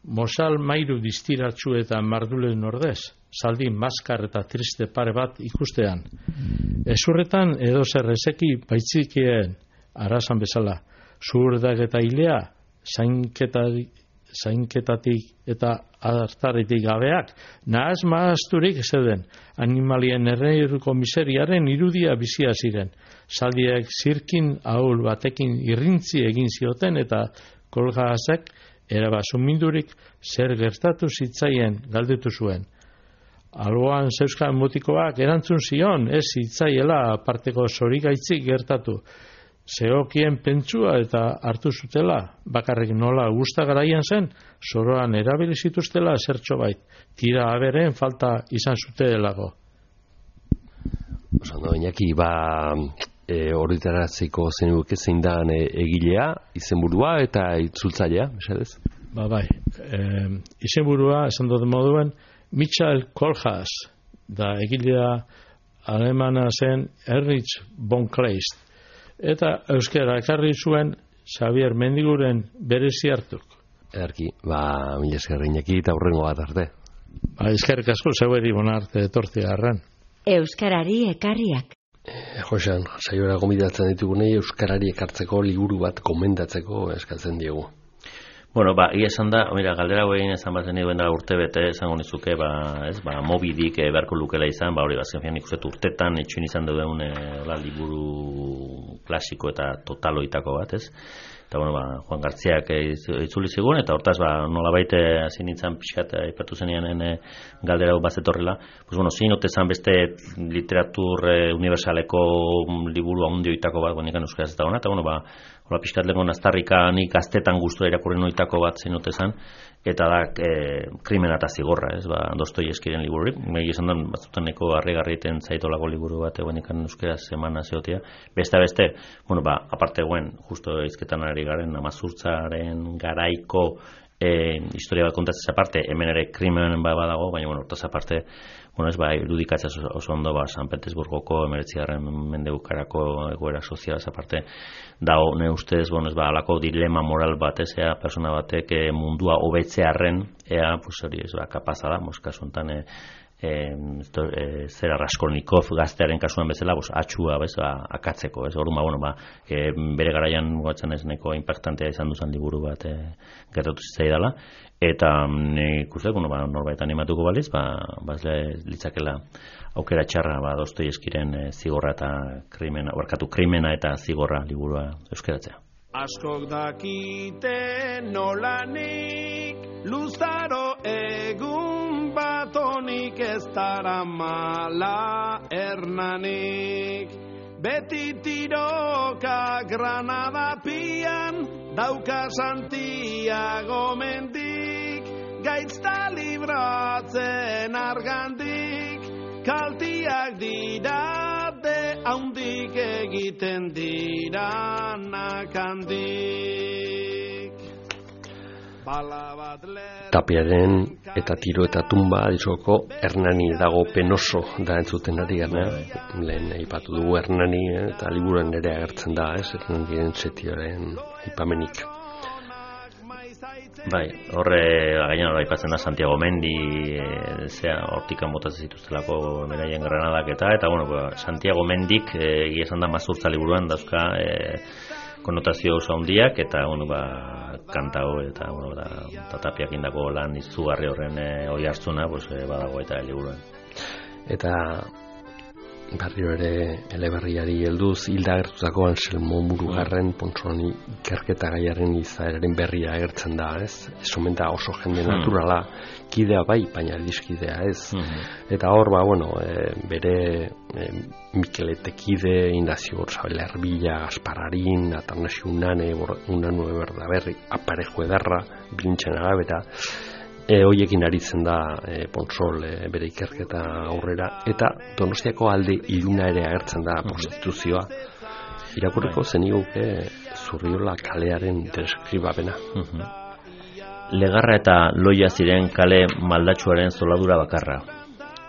Mosal mairu distiratsu eta mardulen ordez, zaldi maskar eta triste pare bat ikustean. Ezurretan edo zer ezeki baitzikien arazan bezala, zuhurdak eta hilea, zainketatik eta adartaretik gabeak, nahaz maazturik zeuden, animalien erreiruko miseriaren irudia bizia ziren. Zaldiek zirkin ahul batekin irrintzi egin zioten eta Koljasek erabasumindurik zer gertatu zitzaien galdetu zuen. Alboan zeuskan mutikoak erantzun zion, ez zitzaiela aparteko zorigaitzik gertatu. Zeokien pentsua eta hartu zutela, bakarrik nola gustagaraian zen, soroan erabili zituztela zertxo bait, tira aberen falta izan zutelago. Oso, Iñaki, horretaratzeko zenuke zein da egilea, izenburua eta itzultzailea, esadez? Bai, izenburua, esan dut moduen, Michael Koljas, da egilea alemana zen Erich von Kleist, eta euskara ekarri zuen Xavier Mendiguren berezi hartuk. Ederki, mila esker Iñaki eta hurrengo bat arte. Eskerrik asko zeueri bonarte etortzea arren. Euskarari ekarriak. Josean, saiora gomidatzen ditugunei euskarari ekartzeko liburu bat gomendatzeko eskatzen diegu. Egia esan da, galdera egin esan bazen nioen da urte bete, esango nizuke, mobidik beharko lukela izan, hori bazken ikusten urtetan etxuin izan duen liburu klasiko eta totaloitako bat, ez? Eta, Juan Gartziak itzuli zigun, eta hortaz, nolabait hasi nintzen pixkat aipatu zenean galdera bazetorrela, zin otezan beste literatur universaleko liburu handioitako bat, nikan euskaraz eta hona, eta, hola pixkat lehen aztarrika nik gaztetan guztua irakurri noitako bat zein otezan, eta da Krimena eta Zigorra, ez, Dostoievskiren libururik, esan da, batzutan neko harrigarriten zaitolako liburu bat egon ikan euskaraz emana zeotia, beste, aparte guen, justo izketan ari garen, Amazurtzaren garaiko historia bat kontatzez aparte, hemen ere Krimenen badago, baina, hortaz aparte, irudikatzea oso ondo, San Petersburgoko 19. mendebukarako egoera sozialaz aparte, dago, ne ustez, alako dilema moral bat, ea, persona batek mundua hobetzearren, ea, hori ez, kapaza da, kasu enten, zera Raskolnikov gaztearen kasuan bezala, atxua akatzeko, ez, orduan, bere garaian mugatzen ez neko impactantea izan duzan liburu bat gertatu zitzaidala, eta nik uste, norbait animatuko baliz, litzakela aukera txarra Dostoievskiren Zigorra eta Krimena eta Zigorra liburua euskaratzea. Askok dakite nolanik luzaro egun batonik ez dara mala Hernanik. Beti tiroka Granada pian dauka Santiago mendik, gaitzta libratzen argandik, kaltiak dirate haundik egiten dira nakandik. Tapiaren eta tiro eta tumba ditzoko Hernani dago penoso da entzuten ari gara. Lehen aipatu dugu Hernani eta liburuan ere agertzen da, ez? Hernaniren setioaren aipamenik. Horre gainan aipatzen da Santiago Mendi, hortikan botatzen zituztelako beraien Granadak eta Santiago Mendik egia esan da Mazurtza liburuan dauzka konotazio oso handiak eta kantao eta Tapiak indako lan izugarri horren oi hartzuna badago eta liburuan. Eta barrio ere eleberriari helduz hilda agertutako Anselmo Murugarren Pontzoni ikerketa gaiaren izaeraren berria agertzen da, ez? Esomen da oso jende naturala, kidea bai, baina dizkidea, ez? Eta hor, bere Mikeletekide, Indazio Orzabela Erbila, Gaspararin, Atanasio Unanue Berdaberri, Aparejo Edarra, Bilintzen Agabeta, hoiekin aritzen da Pontzol bere ikerketa aurrera, eta Donostiako alde iluna ere agertzen da prostituzioa. Irakurriko zeniguke Zurriola kalearen deskribapena. Legarra eta Loia ziren kale maldatsuaren zoladura bakarra.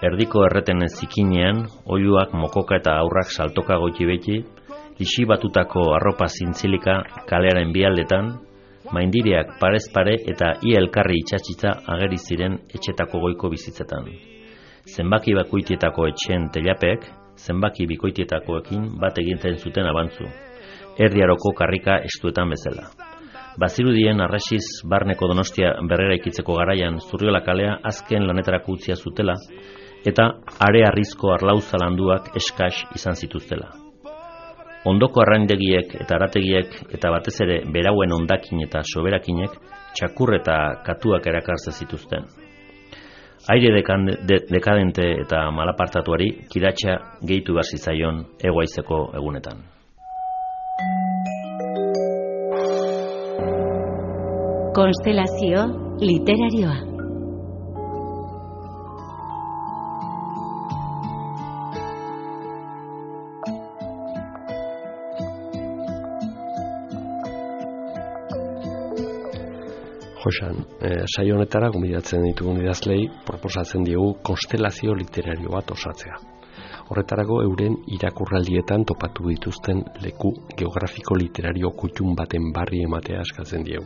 Erdiko erretenen zikinean, oiluak mokoka eta aurrak saltoka goiti beti, Lixibatutako arropa zintzilika kalearen bialdetan, maindireak parez pare eta ia elkarri itxatxitza ageri ziren etxetako goiko bizitzetan. Zenbaki bakoitietako etxeen telapeek, zenbaki bikoitietakoekin bat egiten zuten abantzu, erdiaroko karrika estuetan bezala. Bazirudien arrasiz barneko Donostia berrera ikitzeko garaian Zurriola kalea azken lanetarako utzia zutela, eta are arrizko arlauza landuak eskas izan zituztela. Ondoko arraindegiek eta arategiek eta batez ere berauen ondakin eta soberakinek txakur eta katuak erakartze zituzten. Aire dekadente eta malapartatuari kiratxa gehitu behar zitzaion egoaizeko egunetan. Konstelazio literarioa. Josan, saio honetara gonbidatzen ditugun idazlei proposatzen diegu konstelazio literario bat osatzea. Horretarako euren irakurraldietan topatu dituzten leku geografiko literario kutxun baten barri ematea eskatzen diegu.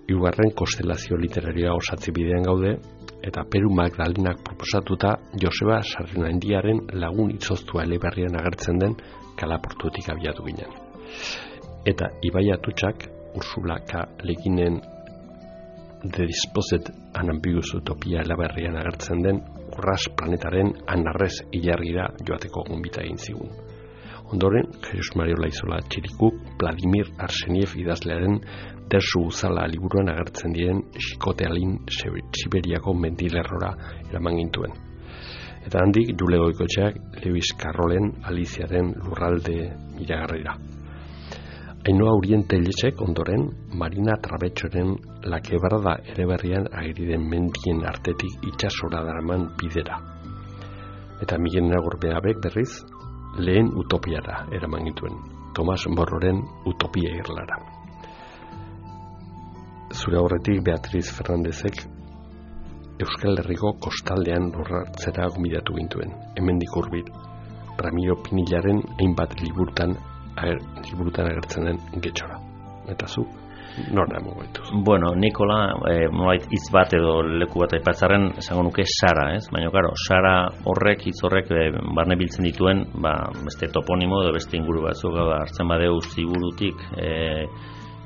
Hirugarren konstelazio literarioa osatze bidean gaude, eta Peru Magdalenak proposatuta Joseba Sarrinaindiaren lagun itzoztua eleberrian agertzen den Kalaportutik abiatu ginen. Eta Ibai Atutxak Ursula K. Leginen The Disposed and Ambiguous Utopia eleberrian agertzen den Urras planetaren Anarrez ilargira joateko gonbita egin zigun. Ondoren, Jesus Mario Laizola Txirikuk Vladimir Arseniev idazlearen Dersu Uzala liburuan agertzen diren Xikotealin Siberiako mendilerrora eraman gintuen. Eta handik Jule Goikotxeak Lewis Carrollen Aliziaren lurralde iragarrira. Ainhoa Uriente Lletxek ondoren Marina Trabetxoren La Quebrada eleberrian ageri den mendien artetik itsasora daraman bidera. Eta Miguel Nagorbeabek berriz Lehen Utopiara eraman gintuen, Tomas Morroren Utopia irlara. Zure aurretik Beatriz Fernandezek Euskal Herriko kostaldean lurratzera gomidatu gintuen, hemendik hurbil, Ramiro Pinillaren hainbat liburutan agertzen den getxora. Eta zu, nora emango dituz? Bueno, Nikola, hitz bat edo leku bat aipatzarren, esango nuke Sara, ez? Baina, karo, Sara horrek, hitz horrek, barne biltzen dituen, beste toponimo edo beste inguru batzuk, hartzen badeu ziburutik,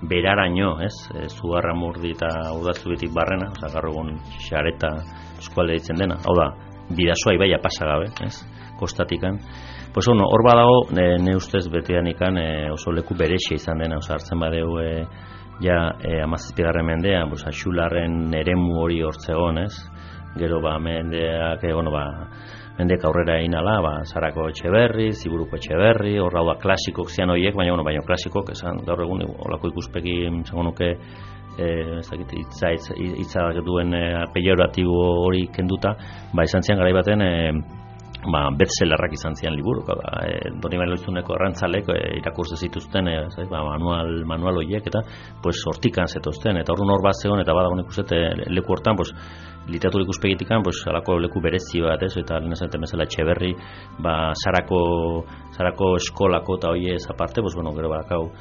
beraraino, ez? Zugarramurdi eta Urdazubitik barrena, gaur egun Xareta eskualde ditzen dena. Hau da, Bidasoa ibaia pasagabe, ez? Kostatikan. Pues hor badago, ne ustez beteanikan oso leku berexia izan dena, hartzen badeu ja 17. mendean, Axularren eremu hori hortzegon, ez? Gero mendeak, mendeak aurrera inala, Sarako Etxeberri, Ziburuko Etxeberri, hor da klasikok zian horiek, baina klasikok, esan gaur egun olako ikuspegi, zango nuke, hitza duen pejoratibo hori kenduta, izan zian garai baten, bestsellerrak izan zian liburu, Doni Loizuneko errantzalek irakurtze zituzten manual horiek, eta hortikan zetozten, eta hor bat zegoen, eta badagoen ikusete leku hortan, literatur ikuspegitikan, alako leku berezi bat, eta lehen esaten bezala Etxeberri, Sarako eskolako eta hori ez aparte, gero barakau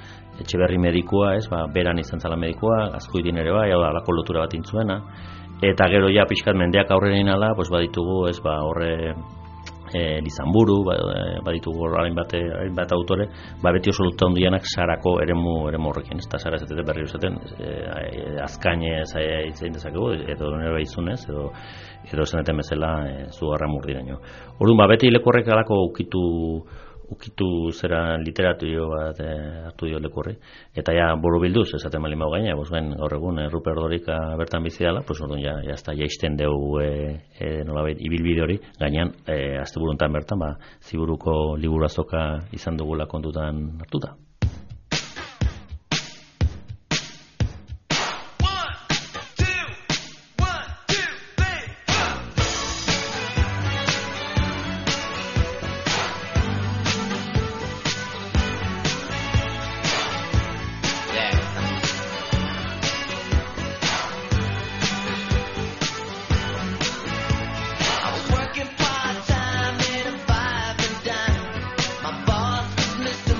Etxeberri medikua, beran izan zala medikua, Azkoidin ere bai, alako lotura bat intzuena, eta gero ja pixkat mendeak aurrera inala, baditugu, horre Lizanburu, baditugu hainbat autore, beti oso luta hondianak Sarako eremu horrekin, ez da Sara ez berri usaten, azkainez itzein dezakegu, edo nire izunez, edo zeneten bezala Zugarramurdiraino. Orduan, beti leku horrek alako ukitu zera literaturio bat hartu dio leku horri, eta ja borobilduz esaten bali mau gaina, gaur egun Rupert Dorika bertan bizi dela, orduan ja jaisten dugu nolabait ibilbide hori, gainean asteburuntan bertan Ziburuko liburu azoka izan dugula kontutan hartuta. Mr.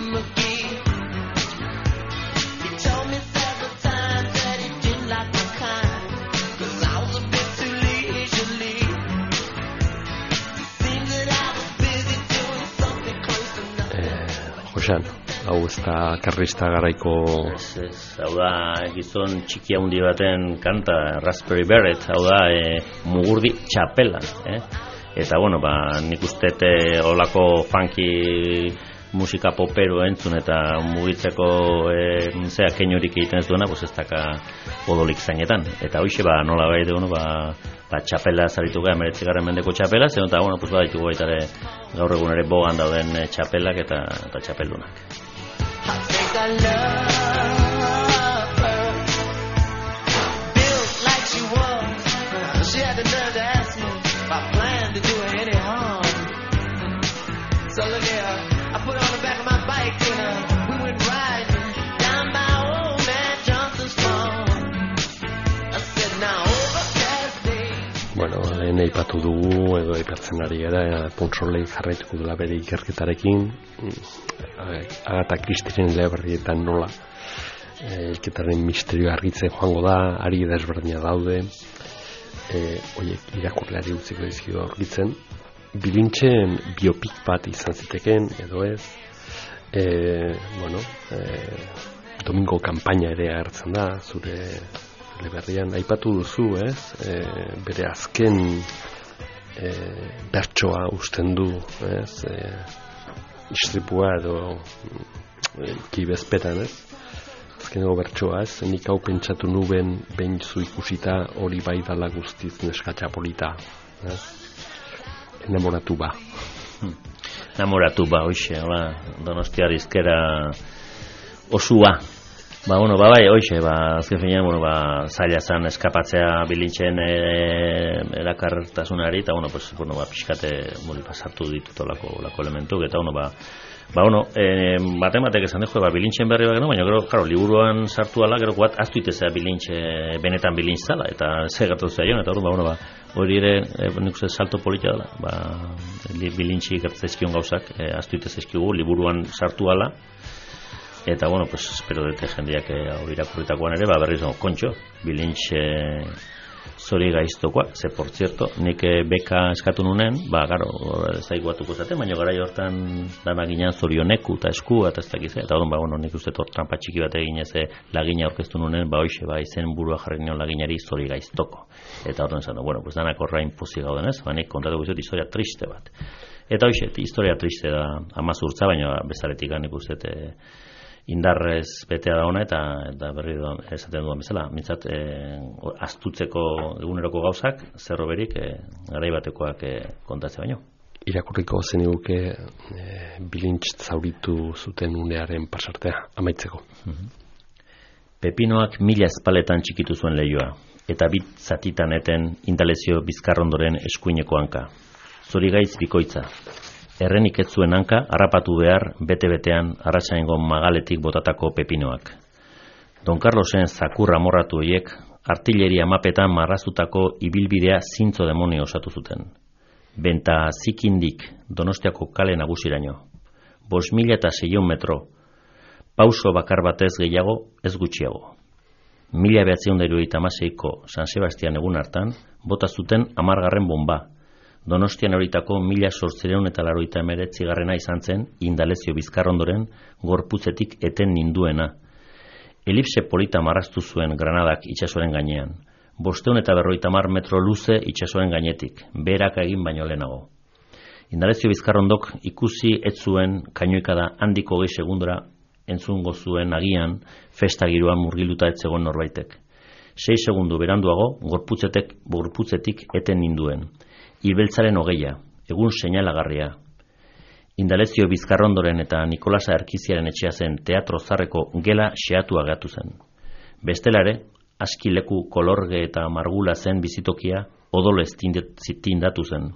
Josean, hau ez da karlista garaiko... Hau da, gizon txiki handi baten kanta, Raspberry Beret, hau da, mugurdi txapela, Eta, bueno, nik uste olako funky musika popero entzun eta mugitzeko keinorik egiten ez duena, ez daka odolik zainetan. Eta hoxe, nola gai dugu, txapela zaritu gara, 19. mendeko txapela, zen eta, baditugu baita gaur egun ere bogan dauden txapelak eta txapeldunak. Bueno, lehen aipatu dugu, edo aipatzen ari gara, Pontsolei jarraituko dela bere ikerketarekin, Agatha Christieren eleberrietan nola, ilketaren misterio argitzen joango da, ari desberdina daude, oiek irakurleari utziko dizkidu aurkitzen, Bilintzen biopik bat izan ziteken, edo ez, Domingo kanpaina ere agertzen da, zure eleberrian, aipatu duzu, ez? Bere azken bertsoa usten du, ez? Istripua edo kibezpetan, ez? Azkeneko bertsoa, ez? Nik hau pentsatu nuben behin zu ikusita hori bai dala guztiz neskatxa polita, ez? Enamoratu ba. Enamoratu ba, hoxe, Donostiar izkera osua. Bai, hoxe, azken finean, zaila zan eskapatzea Bilintzen erakartasunari, eta, pixkate sartu ditut olako elementuk, eta, batek esan dugu, Bilintzen berri bat, baina, gero, liburuan sartu ala, gero, aztu itezea benetan Bilintz zala, eta ze gertatu zaion, eta, hori ere, nik uste salto politia dela, Bilintzi gertzezkion gauzak, aztu itezezkigu, liburuan sartu ala, eta, espero dute jendeak irakurritakoan ere, berriz, kontxo, Bilintz zori gaiztokoa, ze, por cierto, nik beka eskatu nunen, garo, zaigu batuko zaten, baina gara hortan dana ginen zorioneku eta esku, eta ez dakiz, eta nik uste trampa txiki bat egin ez lagina aurkeztu nunen, hoxe, izen burua jarri nion laginari zori gaiztoko. Eta horren zan, danak horrein pozik gauden ez, nik kontatu guztiot historia triste bat. Eta hoxe, historia triste da amazurtza, baina bezaretik nik uste indarrez betea da ona, eta berri esaten duan bezala, mintzat, astutzeko eguneroko gauzak, zerroberik, garai batekoak kontatzea baino. Irakurriko zeniguke Bilintz zauritu zuten unearen pasartea, amaitzeko. Pepinoak 1000 espaletan txikitu zuen lehioa, eta bit zatitan eten Indalezio Bizkarrondoren eskuineko hanka. Zorigaitz bikoitza. Errenik ez zuen hanka, harrapatu behar, bete-betean, arratsaingo magaletik botatako pepinoak. Don Carlosen zakurra morratu horiek, artilleria mapetan marrazutako ibilbidea zintzo demonio osatu zuten. Benta zikindik Donostiako kale nagusiraino. 5.600 metro, pauso bakar batez gehiago, ez gutxiago. 1976ko San Sebastian egun hartan, bota zuten 10. bomba. Donostian horitako 1889 izan zen Indalezio Bizkarrondoren gorputzetik eten ninduena. Elipse polita marraztu zuen granadak itsasoaren gainean. 550 metro luze itsasoaren gainetik, beherak egin baino lehenago. Indalezio Bizkarrondok ikusi ez zuen kainoikada handiko 20 segundora entzungo zuen agian festa giroan murgilduta ez zegoen norbaitek. 6 segundu beranduago gorputzetik eten ninduen. Ibeltzaren hogeia, egun seinalagarria. Indalezio Bizkarrondoren eta Nikolasa Erkiziaren etxea zen teatro zarreko gela xeatua gatu zen. Bestelare, askileku kolorge eta margula zen bizitokia odolez tindatu zen.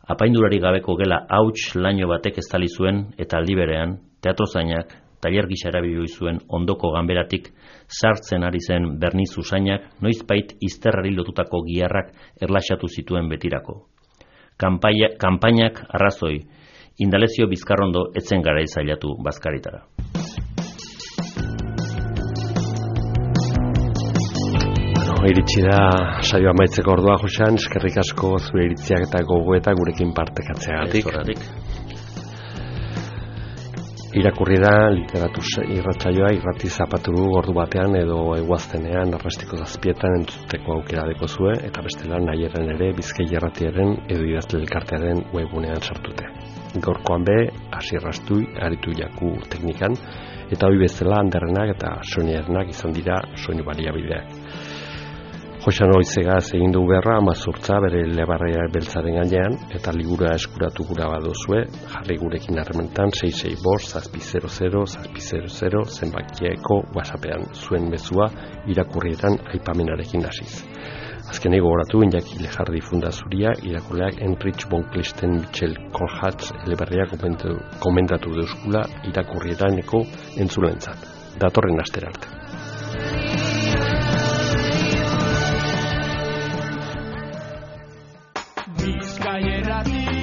Apaindurari gabeko gela hauts laino batek estali zuen eta aldi berean, teatro zainak, tailer gisa erabili zuen ondoko ganberatik sartzen ari zen berniz usainak noizbait izterrari lotutako giharrak erlaxatu zituen betirako. Kanpainak arrazoi, Indalezio Bizkarrondo etzen gara izailatu bazkaritara. Iritsi da saioa amaitzeko ordua, Josean, eskerrik asko zure iritziak eta gogoetak gurekin partekatzeagatik. Irakurri da literatur irratsaioa irrati zapaturu ordu batean edo eguaztenean arrastiko zazpietan entzuteko aukera dekozue, eta bestela nahiaren ere Bizkai Irratiaren edo idazle elkartearen webunean sartute. Gaurkoan be, Asirrastui aritu jaku teknikan, eta hori bezala Anderrenak eta Soinernak izan dira soinu baliabideak. Joxan Oizegaz egin du berra Amazurtza bere lebarrea beltzaren gainean, eta liburua eskuratu gura baduzue, jarri gurekin harrementan 665-700-700 zenbakieko WhatsAppean zuen mezua irakurrietan aipamenarekin hasiz. Azkenei gogoratu Iñaki Lejardi Fundazuria irakurleak Enrich von Kleisten Michel Kohlhatz eleberria komentatu deuskula irakurrietaneko entzulentzat. Datorren astera arte. Bizkai Irrati